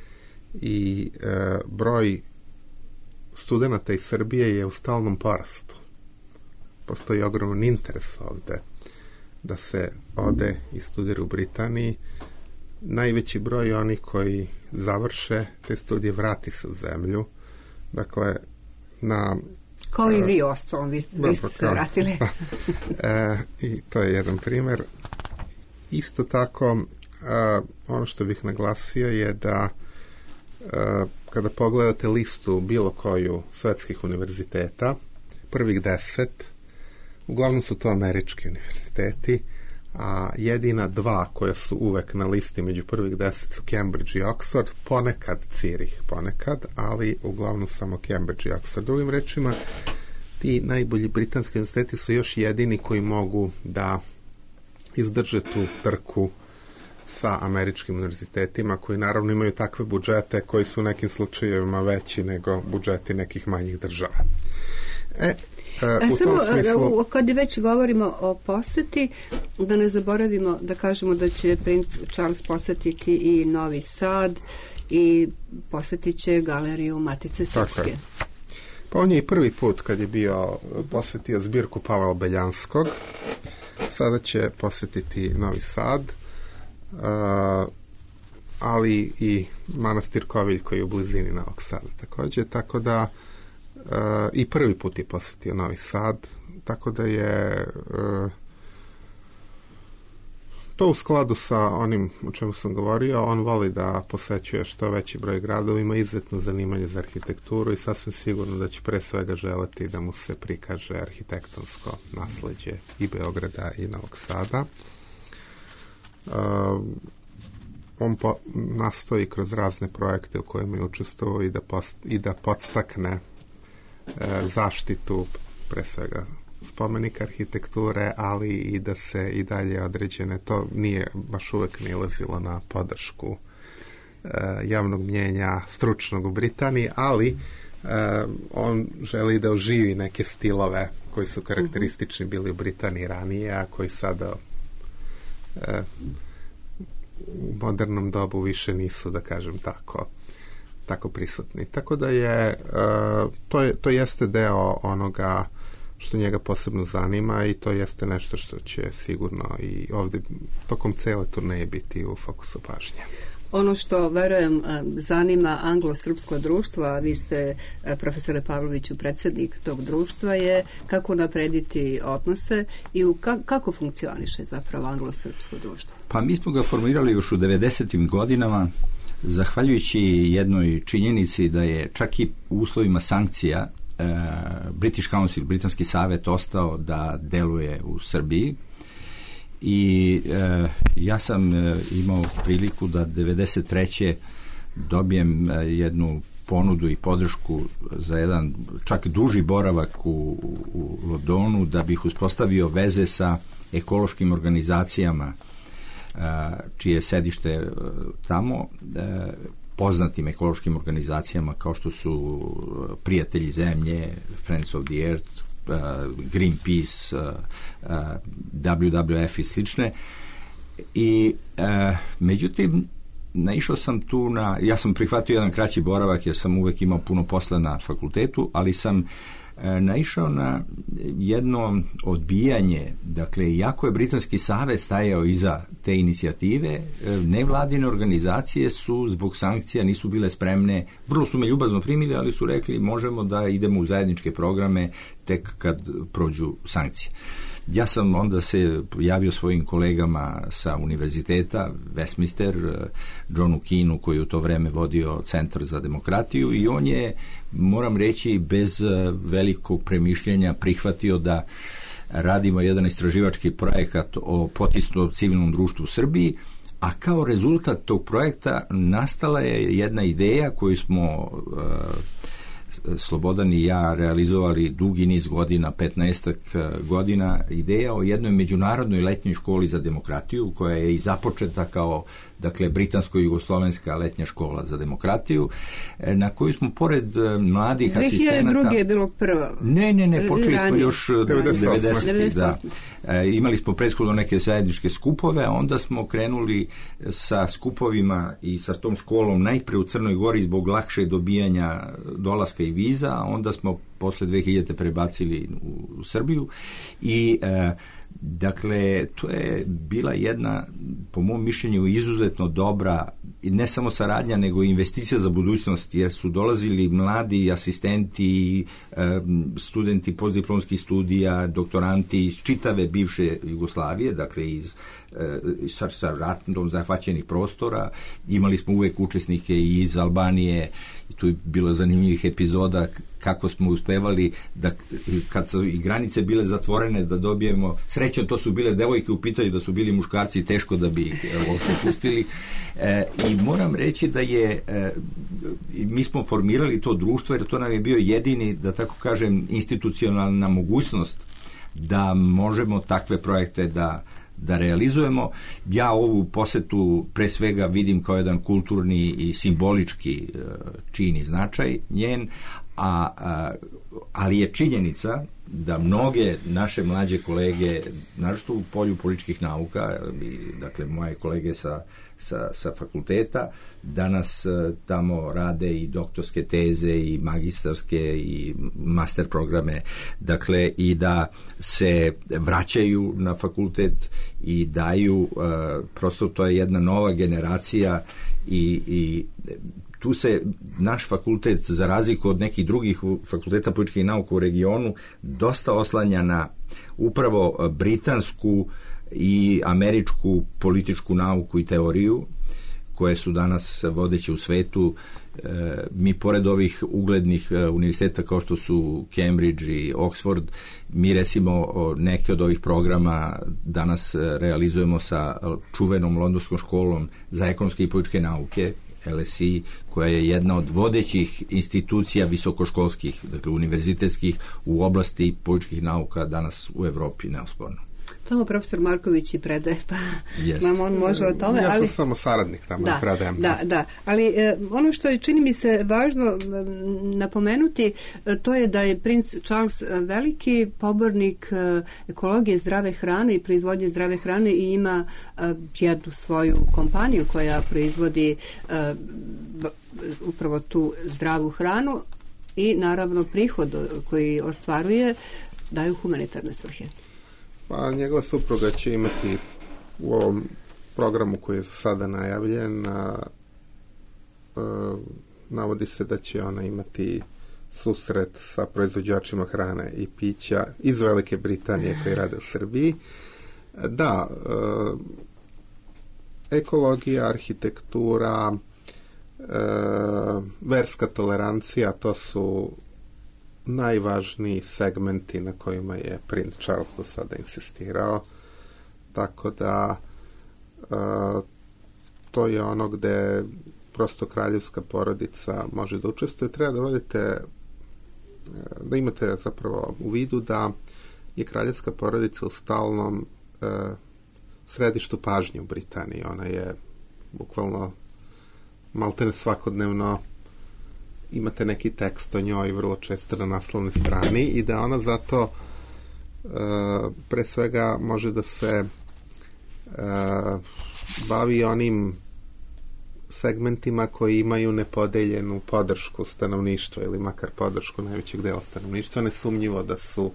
i e, broj studenata iz Srbije je u stalnom porastu. Postoji ogroman interes ovde da se ode i studira u Britaniji. Najveći broj onih koji završe te studije vrati se u zemlju. Dakle, na Kao i vi ostalom, vi, vi ste se vratili. e, I to je jedan primjer. Isto tako, a, ono što bih naglasio je da a, kada pogledate listu bilo koju svetskih univerziteta, prvih deset, uglavnom su to američki univerziteti, a jedina dva koja su uvek na listi među prvih deset su Cambridge i Oxford, ponekad Zurich, ponekad, ali uglavnom samo Cambridge i Oxford. Drugim rečima, ti najbolji britanski univerziteti su još jedini koji mogu da izdrže tu trku sa američkim univerzitetima, koji naravno imaju takve budžete koji su u nekim slučajevima veći nego budžeti nekih manjih država. E, A u samo, tom smislu... kad već govorimo o poseti, da ne zaboravimo da kažemo da će princ Charles posetiti i Novi Sad i posetit će galeriju Matice Srpske. Pa on je i prvi put kad je bio posetio zbirku Pavla Beljanskog, sada će posetiti Novi Sad, uh, ali i manastir Kovilj koji je u blizini Novog Sada također, tako da Uh, i prvi put je posjetio Novi Sad, tako da je uh, to u skladu sa onim o čemu sam govorio. On voli da posećuje što veći broj gradova, ima izuzetno zanimanje za arhitekturu i sasvim sigurno da će pre svega želeti da mu se prikaže arhitektonsko nasleđe i Beograda i Novog Sada. Uh, on po, nastoji kroz razne projekte u kojima je učestvovao i da, post, i da podstakne zaštitu pre svega spomenika arhitekture, ali i da se i dalje određene, to nije baš uvek nilazilo na podršku e, javnog mnjenja stručnog u Britaniji, ali e, on želi da oživi neke stilove koji su karakteristični bili u Britaniji ranije, a koji sada e, u modernom dobu više nisu, da kažem tako, tako prisutni. Tako da je, uh, to je, to jeste deo onoga što njega posebno zanima i to jeste nešto što će sigurno i ovdje tokom cele turneje biti u fokusu pažnje. Ono što, verujem, zanima anglo-srpsko društvo, a vi ste, profesore Pavloviću, predsjednik tog društva, je kako naprediti odnose i u ka, kako funkcioniše zapravo anglo-srpsko društvo? Pa mi smo ga formirali još u devedesetim godinama, zahvaljujući jednoj činjenici da je čak i u uslovima sankcija e, British Council, Britanski savet, ostao da deluje u Srbiji i e, ja sam e, imao priliku da devedeset treće dobijem e, jednu ponudu i podršku za jedan čak duži boravak u, u Londonu da bih uspostavio veze sa ekološkim organizacijama čije sedište tamo, poznatim ekološkim organizacijama kao što su Prijatelji zemlje, Friends of the Earth, Greenpeace, W W F i slične. I međutim, naišao sam tu na, ja sam prihvatio jedan kraći boravak jer sam uvek imao puno posla na fakultetu, ali sam naišao na jedno odbijanje. Dakle, iako je Britanski savez stajao iza te inicijative, nevladine organizacije su zbog sankcija nisu bile spremne, vrlo su me ljubazno primili, ali su rekli možemo da idemo u zajedničke programe tek kad prođu sankcije. Ja sam onda se javio svojim kolegama sa univerziteta, Westminster, Johnu Keanu, koji u to vreme vodio Centar za demokratiju, i on je, moram reći, bez velikog premišljenja prihvatio da radimo jedan istraživački projekat o potisnutom civilnom društvu u Srbiji, a kao rezultat tog projekta nastala je jedna ideja koju smo Slobodan i ja realizovali dugi niz godina, petnaestak godina, ideja o jednoj međunarodnoj letnjoj školi za demokratiju, koja je i započeta kao, dakle, britansko-jugoslovenska letnja škola za demokratiju, na koju smo pored mladih asistenata... dve hiljade druge je bilo prvo. Ne, ne, ne, počeli smo još devedesetih. Da. E, imali smo prethodno neke zajedničke skupove, a onda smo krenuli sa skupovima i sa tom školom najpre u Crnoj Gori zbog lakše dobijanja dolaska i viza, a onda smo posle dve hiljade prebacili u Srbiju i e, dakle, to je bila jedna, po mom mišljenju, izuzetno dobra i ne samo saradnja, nego i investicija za budućnost, jer su dolazili mladi asistenti, studenti postdiplomskih studija, doktoranti iz čitave bivše Jugoslavije, dakle iz sa, sa ratom zahvaćenih prostora. Imali smo uvek učesnike i iz Albanije, i tu je bilo zanimljivih epizoda kako smo uspevali da kad su i granice bile zatvorene da dobijemo, srećom to su bile devojke u pitanju, da su bili muškarci teško da bi ih uopšte pustili. E, i moram reći da je e, mi smo formirali to društvo jer to nam je bio jedini, da tako kažem, institucionalna mogućnost da možemo takve projekte da da realizujemo. Ja ovu posetu pre svega vidim kao jedan kulturni i simbolički čin i značaj njen, a, a, ali je činjenica da mnoge naše mlađe kolege, naročito u polju političkih nauka, i, dakle moje kolege sa, sa, sa fakulteta, danas tamo rade i doktorske teze i magistarske i master programe, dakle i da se vraćaju na fakultet i daju, prosto to je jedna nova generacija i, i tu se naš fakultet, za razliku od nekih drugih fakulteta političkih nauka u regionu, dosta oslanja na upravo britansku i američku političku nauku i teoriju, koje su danas vodeće u svetu. E, mi pored ovih uglednih univerziteta kao što su Cambridge i Oxford, mi recimo neke od ovih programa danas realizujemo sa čuvenom londonskom školom za ekonomske i političke nauke, L S E, koja je jedna od vodećih institucija visokoškolskih, dakle univerzitetskih u oblasti političkih nauka danas u Evropi, neosporno. Tamo profesor Marković i predaje, pa yes. nam on može o tome. Ja sam ali... samo saradnik tamo da, i predajem. Da, da, ali e, ono što je, čini mi se, važno e, napomenuti, e, to je da je princ Charles veliki pobornik e, ekologije, zdrave hrane i proizvodnje zdrave hrane i ima e, jednu svoju kompaniju koja proizvodi e, upravo tu zdravu hranu i naravno prihod koji ostvaruje daju humanitarne svrhe. Pa njegova supruga će imati u ovom programu koji je sada najavljen, a, a, navodi se da će ona imati susret sa proizvođačima hrane i pića iz Velike Britanije koji rade u Srbiji. Da, a, ekologija, arhitektura, a, verska tolerancija, to su najvažniji segmenti na kojima je princ Charles do sada insistirao, tako da uh, to je ono gde prosto kraljevska porodica može da učestvuje. Treba da vodite, da imate zapravo u vidu da je kraljevska porodica u stalnom uh, središtu pažnje u Britaniji. Ona je bukvalno maltene svakodnevno imate neki tekst o njoj vrlo često na naslovnoj strani i da ona zato e, pre svega može da se e, bavi onim segmentima koji imaju nepodeljenu podršku stanovništva ili makar podršku najvećeg dela stanovništva. Nesumnjivo da su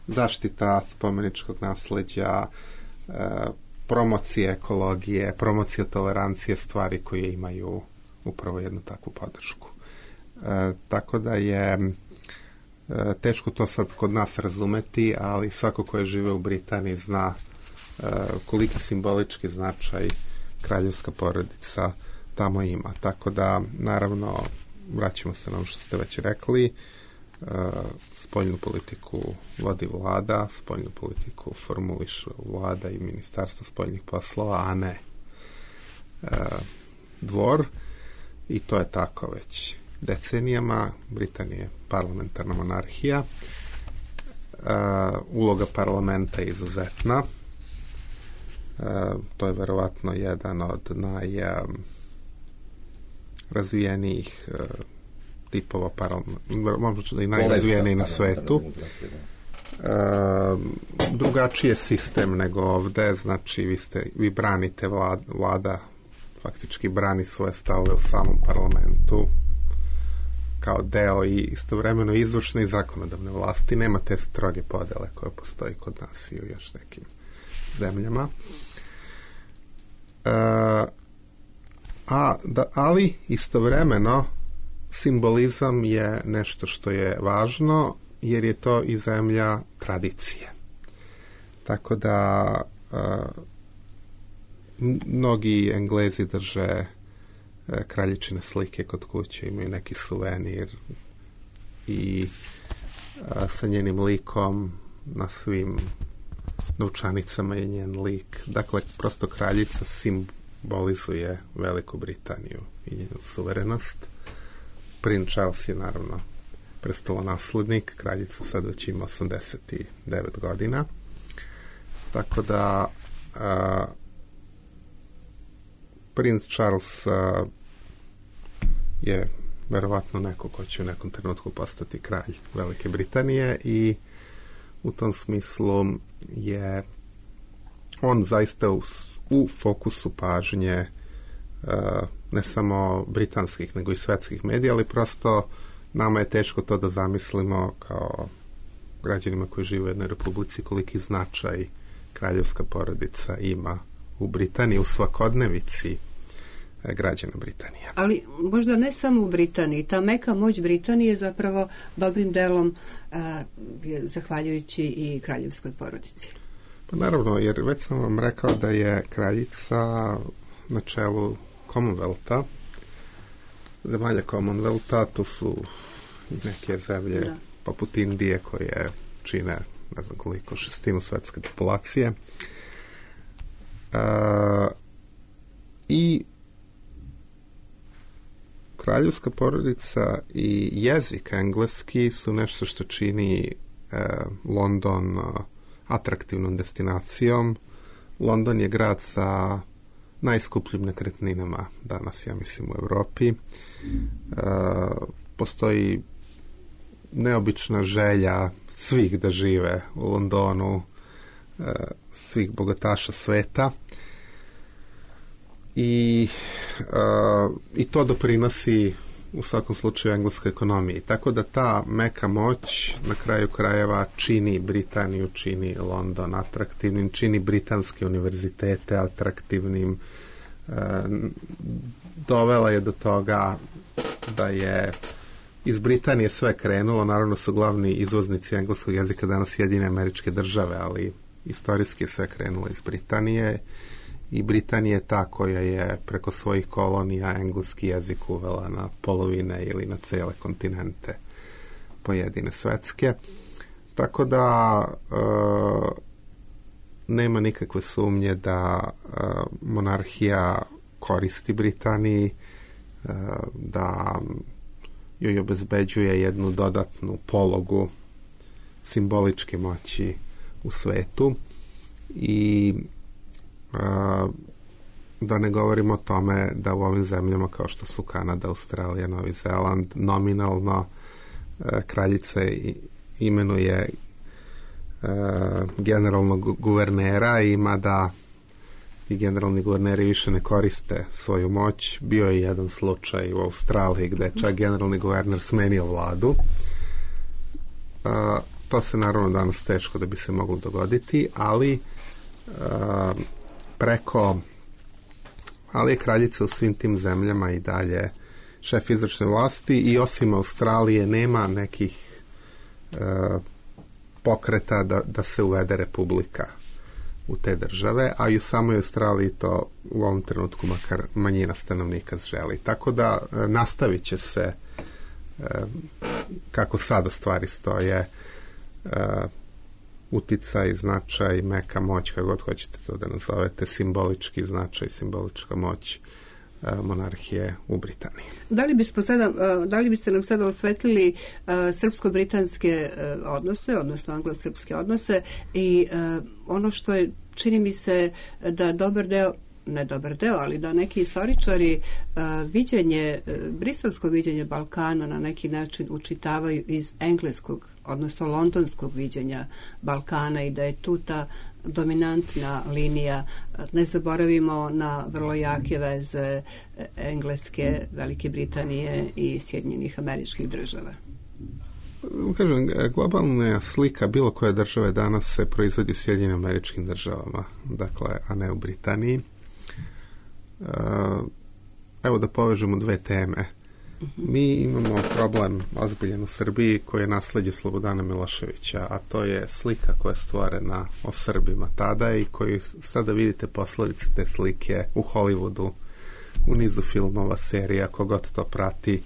zaštita spomeničkog nasleđa, e, promocija ekologije, promocija tolerancije, stvari koje imaju upravo jednu takvu podršku. E, tako da je e, teško to sad kod nas razumeti, ali svako ko je žive u Britaniji zna e, koliki simbolički značaj kraljevska porodica tamo ima. Tako da, naravno, vraćamo se na ono što ste već rekli, e, spoljnu politiku vodi vlada, spoljnu politiku formulišu vlada i ministarstvo spoljnih poslova, a ne e, dvor, i to je tako već decenijama. Britanija je parlamentarna monarhija. Uh, uloga parlamenta je izuzetna. Uh, to je verovatno jedan od najrazvijenijih uh, tipova parlamenta, možda i najrazvijeniji na svetu. Uh, drugačiji je sistem nego ovde, znači vi, ste, vi branite vlada, vlada faktički brani svoje stavove u samom parlamentu kao deo i istovremeno izvršne i zakonodavne vlasti. Nema te stroge podele koje postoji kod nas i u još nekim zemljama. E, A, da, ali istovremeno simbolizam je nešto što je važno, jer je to i zemlja tradicije. Tako da a, mnogi Englezi drže a, kraljičine slike kod kuće, imaju neki suvenir i a, sa njenim likom na svim novčanicama je njen lik. Dakle, prosto kraljica simbolizuje Veliku Britaniju i njenu suverenost. Prince Charles je naravno prestolonaslednik, kraljica sad već ima osamdeset devet godina. Tako da a, Prince Charles a, je verovatno neko ko će u nekom trenutku postati kralj Velike Britanije i u tom smislu je on zaista u, u fokusu pažnje uh, ne samo britanskih nego i svetskih medija, ali prosto nama je teško to da zamislimo kao građanima koji žive u jednoj republici koliki značaj kraljevska porodica ima u Britaniji, u svakodnevici građana Britanije. Ali možda ne samo u Britaniji. Ta meka moć Britanije zapravo dobrim delom a, je zahvaljujući i kraljevskoj porodici. Pa naravno, jer već sam vam rekao da je kraljica na čelu Commonwealtha, zemalja Commonwealtha, to su i neke zemlje da. poput Indije koje čine ne znam koliko, šestinu svetske populacije. A, I kraljevska porodica i jezik engleski su nešto što čini e, London atraktivnom destinacijom. London je grad sa najskupljim nekretninama danas, ja mislim, u Evropi. E, postoji neobična želja svih da žive u Londonu, e, svih bogataša sveta. I, uh, i to doprinosi u svakom slučaju engleskoj ekonomiji. Tako da ta meka moć na kraju krajeva čini Britaniju, čini London atraktivnim, čini britanske univerzitete atraktivnim. Uh, dovela je do toga da je iz Britanije sve krenulo. Naravno su glavni izvoznici engleskog jezika danas Sjedinjene Američke Države, ali istorijski je sve krenulo iz Britanije. I Britanija je ta koja je preko svojih kolonija engleski jezik uvela na polovine ili na cele kontinente pojedine svetske. Tako da e, nema nikakve sumnje da e, monarhija koristi Britaniji, e, da joj obezbeđuje jednu dodatnu pologu simboličke moći u svetu i Uh, da ne govorimo o tome da u ovim zemljama kao što su Kanada, Australija, Novi Zeland nominalno uh, kraljica imenuje uh, generalnog guvernera i mada i generalni guverneri više ne koriste svoju moć. Bio je jedan slučaj u Australiji gde je čak generalni guverner smenio vladu. Uh, to se naravno danas teško da bi se moglo dogoditi, ali uh, preko ali je kraljica u svim tim zemljama i dalje šef izvršne vlasti i osim Australije nema nekih e, pokreta da, da se uvede republika u te države, a i u samoj Australiji to u ovom trenutku makar manjina stanovnika želi. Tako da e, nastavit će se e, kako sada stvari stoje e, uticaj, značaj, meka moć, kako god hoćete to da nazovete, simbolički značaj, simbolička moć uh, monarhije u Britaniji. Da li, bismo sada, uh, da li biste nam sada osvetlili uh, srpsko-britanske uh, odnose, odnosno anglo-srpske odnose i uh, ono što je, čini mi se da dobar deo ne dobar deo, ali da neki istoričari uh, viđenje, uh, briselsko viđenje Balkana na neki način učitavaju iz engleskog, odnosno londonskog viđenja Balkana i da je tu ta dominantna linija. Ne zaboravimo na vrlo jake veze Engleske, Velike Britanije i Sjedinjenih Američkih Država. Kažem, globalna slika bilo koje države danas se proizvodi u Sjedinjenim Američkim Državama, dakle, a ne u Britaniji. evo da povežemo dve teme. Mi imamo problem ozbiljen u Srbiji koji je nasleđe Slobodana Miloševića, a to je slika koja je stvorena o Srbima tada i koju sada vidite posledice te slike u Hollywoodu, u nizu filmova, serija, kogod to prati,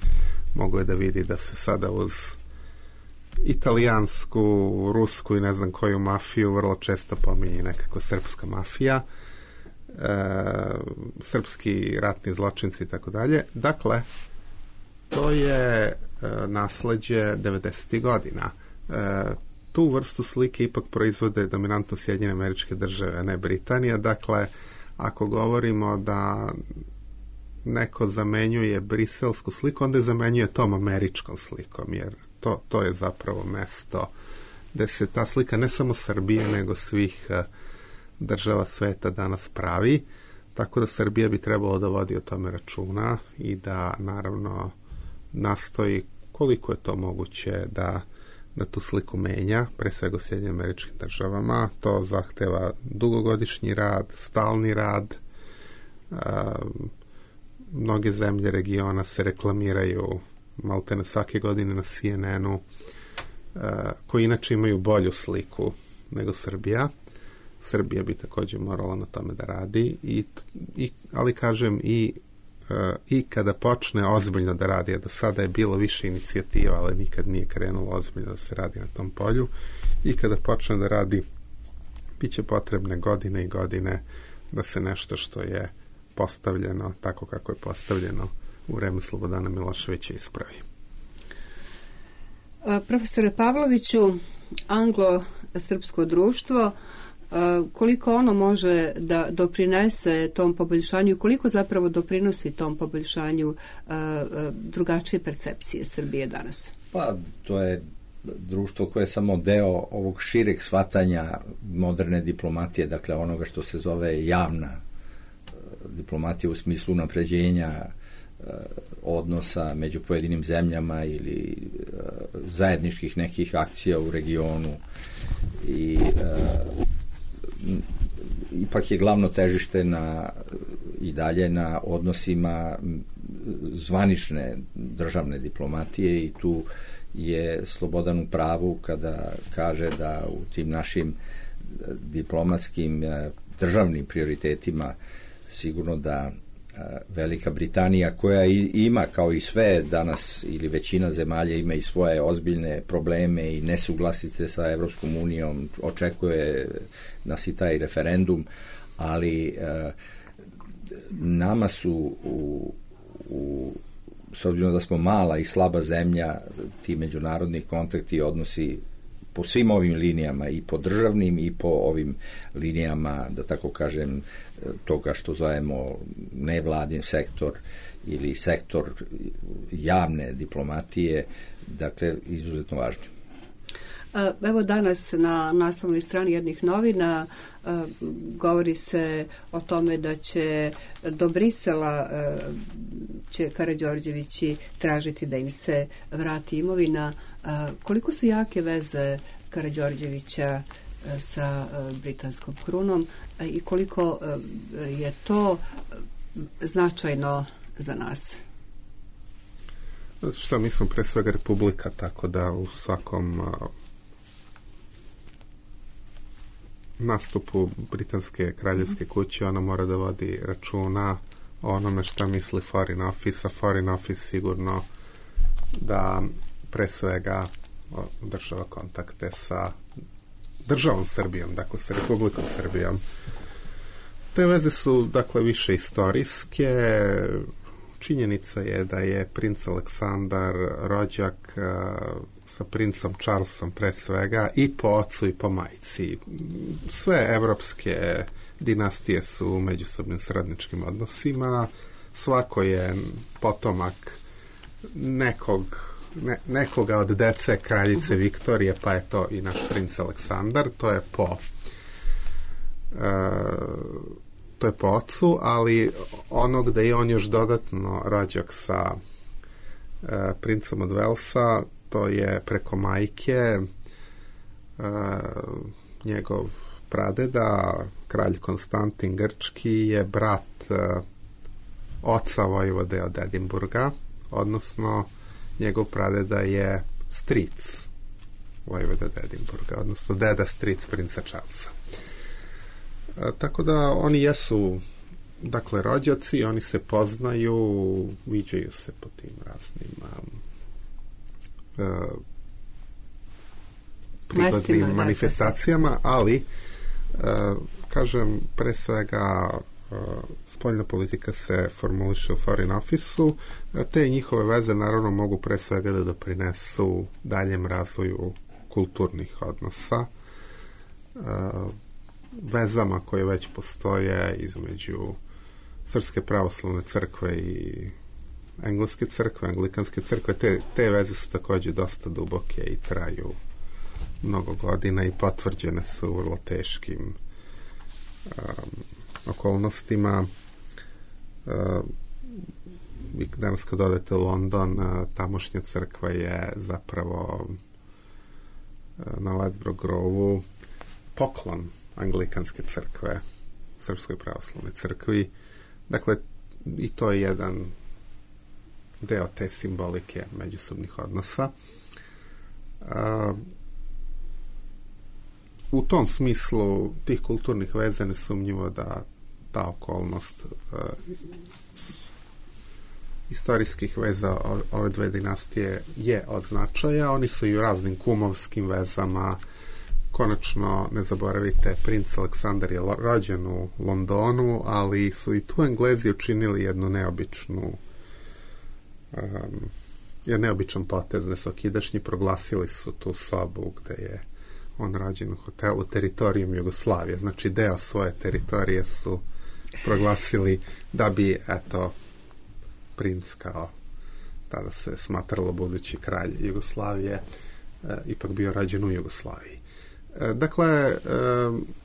mogu je da vidi da se sada uz italijansku, rusku i ne znam koju mafiju vrlo često pominje nekako srpska mafija, e, srpski ratni zločinci i tako dalje. Dakle, to je e, nasleđe devedesetih godina. E, tu vrstu slike ipak proizvode dominantno Sjedinjene Američke Države, a ne Britanija. Dakle, ako govorimo da neko zamenjuje briselsku sliku, onda je zamenjuje tom američkom slikom, jer to, to je zapravo mesto gde se ta slika ne samo Srbije, nego svih uh, država sveta danas pravi, tako da Srbija bi trebalo da vodi o tome računa i da naravno nastoji koliko je to moguće da, da tu sliku menja, pre svega u Sjedinjenim Američkim Državama. To zahteva dugogodišnji rad, stalni rad. Uh, mnoge zemlje regiona se reklamiraju maltene svake godine na C N N-u, uh, koji inače imaju bolju sliku nego Srbija. Srbija bi također morala na tome da radi, i, i, ali kažem i, uh, i kada počne ozbiljno da radi, a do sada je bilo više inicijativa, ali nikad nije krenulo ozbiljno da se radi na tom polju, i kada počne da radi, bit će potrebne godine i godine da se nešto što je postavljeno tako kako je postavljeno u vreme Slobodana Miloševića ispravi. Profesore Pavloviću, anglo-srpsko društvo, koliko ono može da doprinese tom poboljšanju, koliko zapravo doprinosi tom poboljšanju drugačije percepcije Srbije danas? Pa, to je društvo koje je samo deo ovog šireg shvatanja moderne diplomatije, dakle onoga što se zove javna diplomatija u smislu unapređenja odnosa među pojedinim zemljama ili zajedničkih nekih akcija u regionu, i ipak je glavno težište na, i dalje na odnosima zvanične državne diplomatije, i tu je Slobodan u pravu kada kaže da u tim našim diplomatskim državnim prioritetima sigurno da Velika Britanija, koja ima kao i sve danas ili većina zemalja ima i svoje ozbiljne probleme i nesuglasice sa Evropskom unijom, očekuje nas i taj referendum, ali nama su u, u s obzirom da smo mala i slaba zemlja, ti međunarodni kontakti i odnosi po svim ovim linijama, i po državnim i po ovim linijama, da tako kažem, toga što zovemo nevladin sektor ili sektor javne diplomatije, dakle, izuzetno važno. Evo danas na naslovnoj strani jednih novina govori se o tome da će do Brisela će Karađorđevići tražiti da im se vrati imovina. Koliko su jake veze Karađorđevića sa britanskom krunom i koliko je to značajno za nas? Što mi smo pre svega republika, tako da u svakom nastupu britanske kraljevske kuće ona mora da vodi računa o onome šta misli Foreign Office, a Foreign Office sigurno da pre svega održava kontakte sa državom Srbijom, dakle sa Republikom Srbijom. Te veze su, dakle, više istorijske. Činjenica je da je princ Aleksandar rođak sa princom Charlesom pre svega i po ocu i po majci. Sve evropske dinastije su u međusobnim srodničkim odnosima. Svako je potomak nekog, ne, nekoga od dece kraljice Viktorije, pa je to i naš princ Aleksandar. To je po uh, to je po ocu, ali ono gde je on još dodatno rođak sa uh, princom od Velsa, to je preko majke uh, njegov pradeda, kralj Konstantin Grčki, je brat uh, oca vojvode od Edinburga, odnosno njegov pradeda je stric vojvode od Edinburga, odnosno deda stric princa Charlesa. E, tako da oni jesu, dakle, rođaci, oni se poznaju, viđaju se po tim raznim e, prigodnim Mestima, manifestacijama, dakle. Ali e, kažem, pre svega e, spoljna politika se formuliše u Foreign Office-u, te njihove veze naravno mogu pre svega da doprinesu daljem razvoju kulturnih odnosa, e, vezama koje već postoje između Srpske pravoslavne crkve i Engleske crkve, Anglikanske crkve. Te, te veze su takođe dosta duboke i traju mnogo godina i potvrđene su u vrlo teškim um, okolnostima. Uh, danas kad odete u London, uh, tamošnja crkva je zapravo uh, na Ladbroke Grove-u poklon Anglikanske crkve Srpskoj pravoslavnoj crkvi. Dakle, i to je jedan deo te simbolike međusobnih odnosa. Uh, u tom smislu tih kulturnih veza nesumnjivo da ta okolnost uh, istorijskih veza ove dve dinastije je od značaja. Oni su i u raznim kumovskim vezama. Konačno, ne zaboravite, princ Aleksandar je rođen u Londonu, ali su i tu Englezi učinili jednu neobičnu um, jedan neobičan potez, nesokidašnji, proglasili su tu sobu gde je on rođen u hotelu teritorijom Jugoslavije. Znači, deo svoje teritorije su proglasili da bi, eto, princ kao tada se smatralo budući kralj Jugoslavije e, ipak bio rođen u Jugoslaviji. E, dakle, e,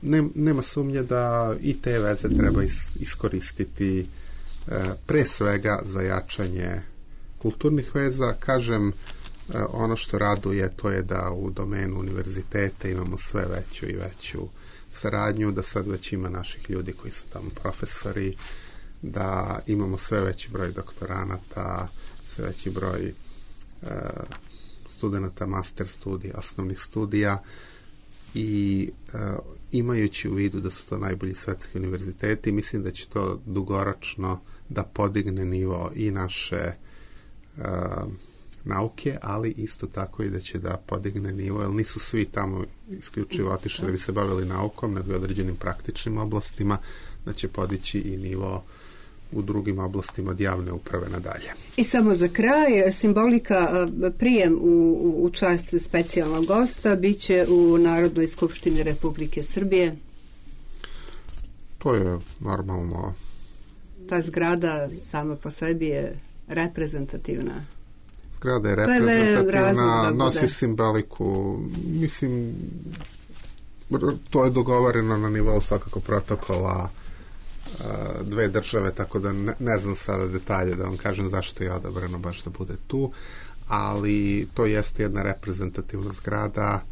ne, nema sumnje da i te veze treba is, iskoristiti e, pre svega za jačanje kulturnih veza. Kažem, e, ono što raduje to je da u domenu univerziteta imamo sve veću i veću saradnju, da sad već ima naših ljudi koji su tamo profesori, da imamo sve veći broj doktoranata, sve veći broj e, studenta master studija, osnovnih studija i e, imajući u vidu da su to najbolji svetski univerziteti, mislim da će to dugoročno da podigne nivo i naše e, nauke, ali isto tako i da će da podigne nivo, jer nisu svi tamo isključivo otišli da bi se bavili naukom, nego i određenim praktičnim oblastima, da će podići i nivo u drugim oblastima od javne uprave nadalje. I samo za kraj, simbolika prijem u, u čast specijalnog gosta biće u Narodnoj skupštini Republike Srbije. To je normalno. Ta zgrada sama po sebi je reprezentativna. Zgrada je reprezentativna, nosi simboliku. Mislim, to je dogovoreno na nivou svakako protokola dve države, tako da ne, ne znam sada detalje da vam kažem zašto je odabrano baš da bude tu, ali to jeste jedna reprezentativna zgrada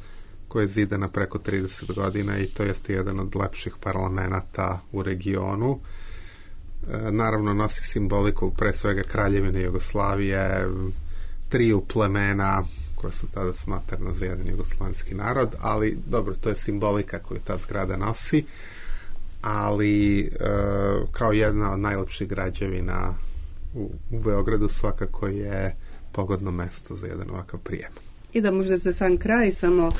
koja je zidana preko trideset godina i to jeste jedan od lepših parlamenta u regionu. E, naravno nosi simboliku pre svega Kraljevine Jugoslavije, triju plemena koja su tada smatrana za jedan jugoslovenski narod, ali dobro, to je simbolika koju ta zgrada nosi, ali e, kao jedna od najlepših građevina u, u Beogradu svakako je pogodno mesto za jedan ovakav prijem. I da možda za sam kraj samo e,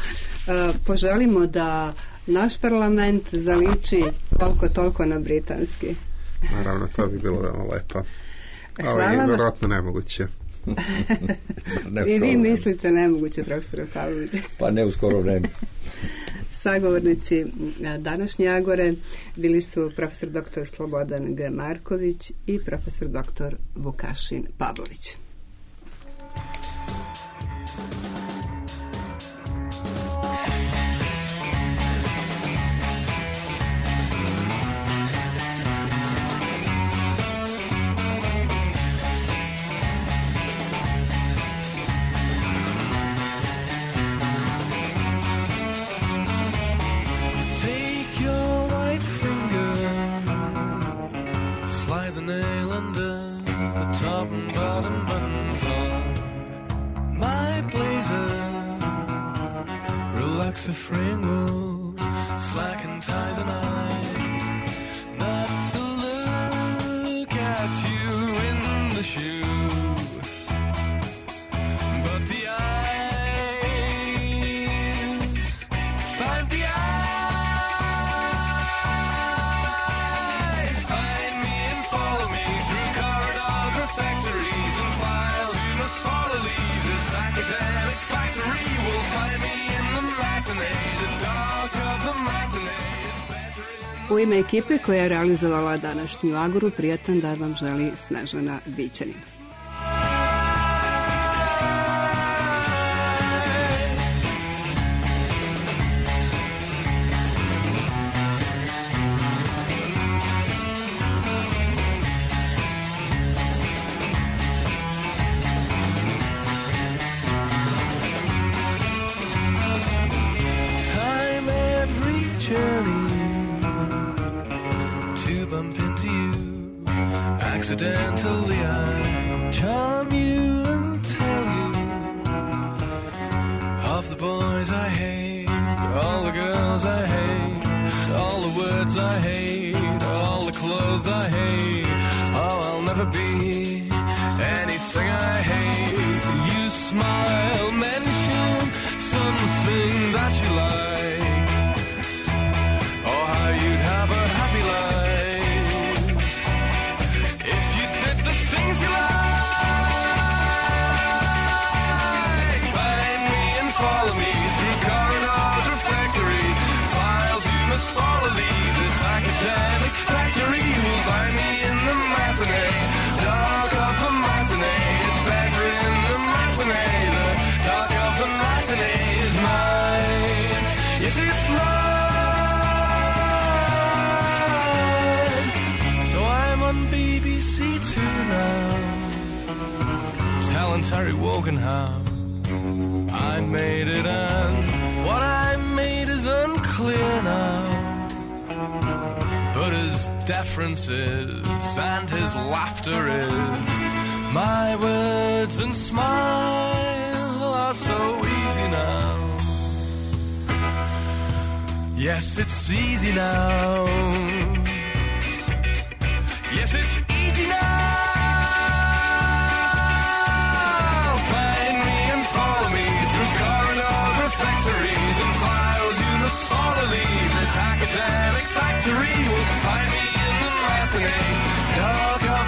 poželimo da naš parlament zaliči toliko toliko na britanski. Naravno, to bi bilo veoma lepo. Ali je vjerojatno nemoguće. I vi mislite nemoguće, profesor Pavlović? Pa ne, uskoro vreme. Sagovornici današnje Agore bili su profesor doktor Slobodan G. Marković i profesor doktor Vukašin Pavlović. Nail under box of Pringles, slacking ties and I, not to look at you in the shoe, but the eyes, find the eyes, find me and follow me through corridors or factories and files. You must follow, leave this academic factory. Will find me in the matinee, the dark of the matinee. U ime ekipe koja je realizovala današnju Agoru, prijatan dan vam želi Snežana Bićanin. Time every journey to bump into you. Accidentally I charm you and tell you of the boys I hate, all the girls I hate, all the words I hate, all the clothes I hate. Oh, I'll never be anything I hate. You smile, mention something that you like. Oh, how you'd have a happy life if you did the things you like. Find me and follow me through corridors or factories, files you must follow, leave this academic factory. You'll find me in the matinee, dark of the matinee. It's better in the matinee, the dark of the matinee is mine. Yes, it's mine. So I'm on B B C Two now, telling Terry Wogan how I made it, and what I made is unclear now. But his deference is, and his laughter is, my words and smile are so easy now. Yes, it's easy now. Yes, it's easy now. Find me and follow me through corridors or factories and files. You must follow, leave this academic factory. Will find me in the matinee, dark of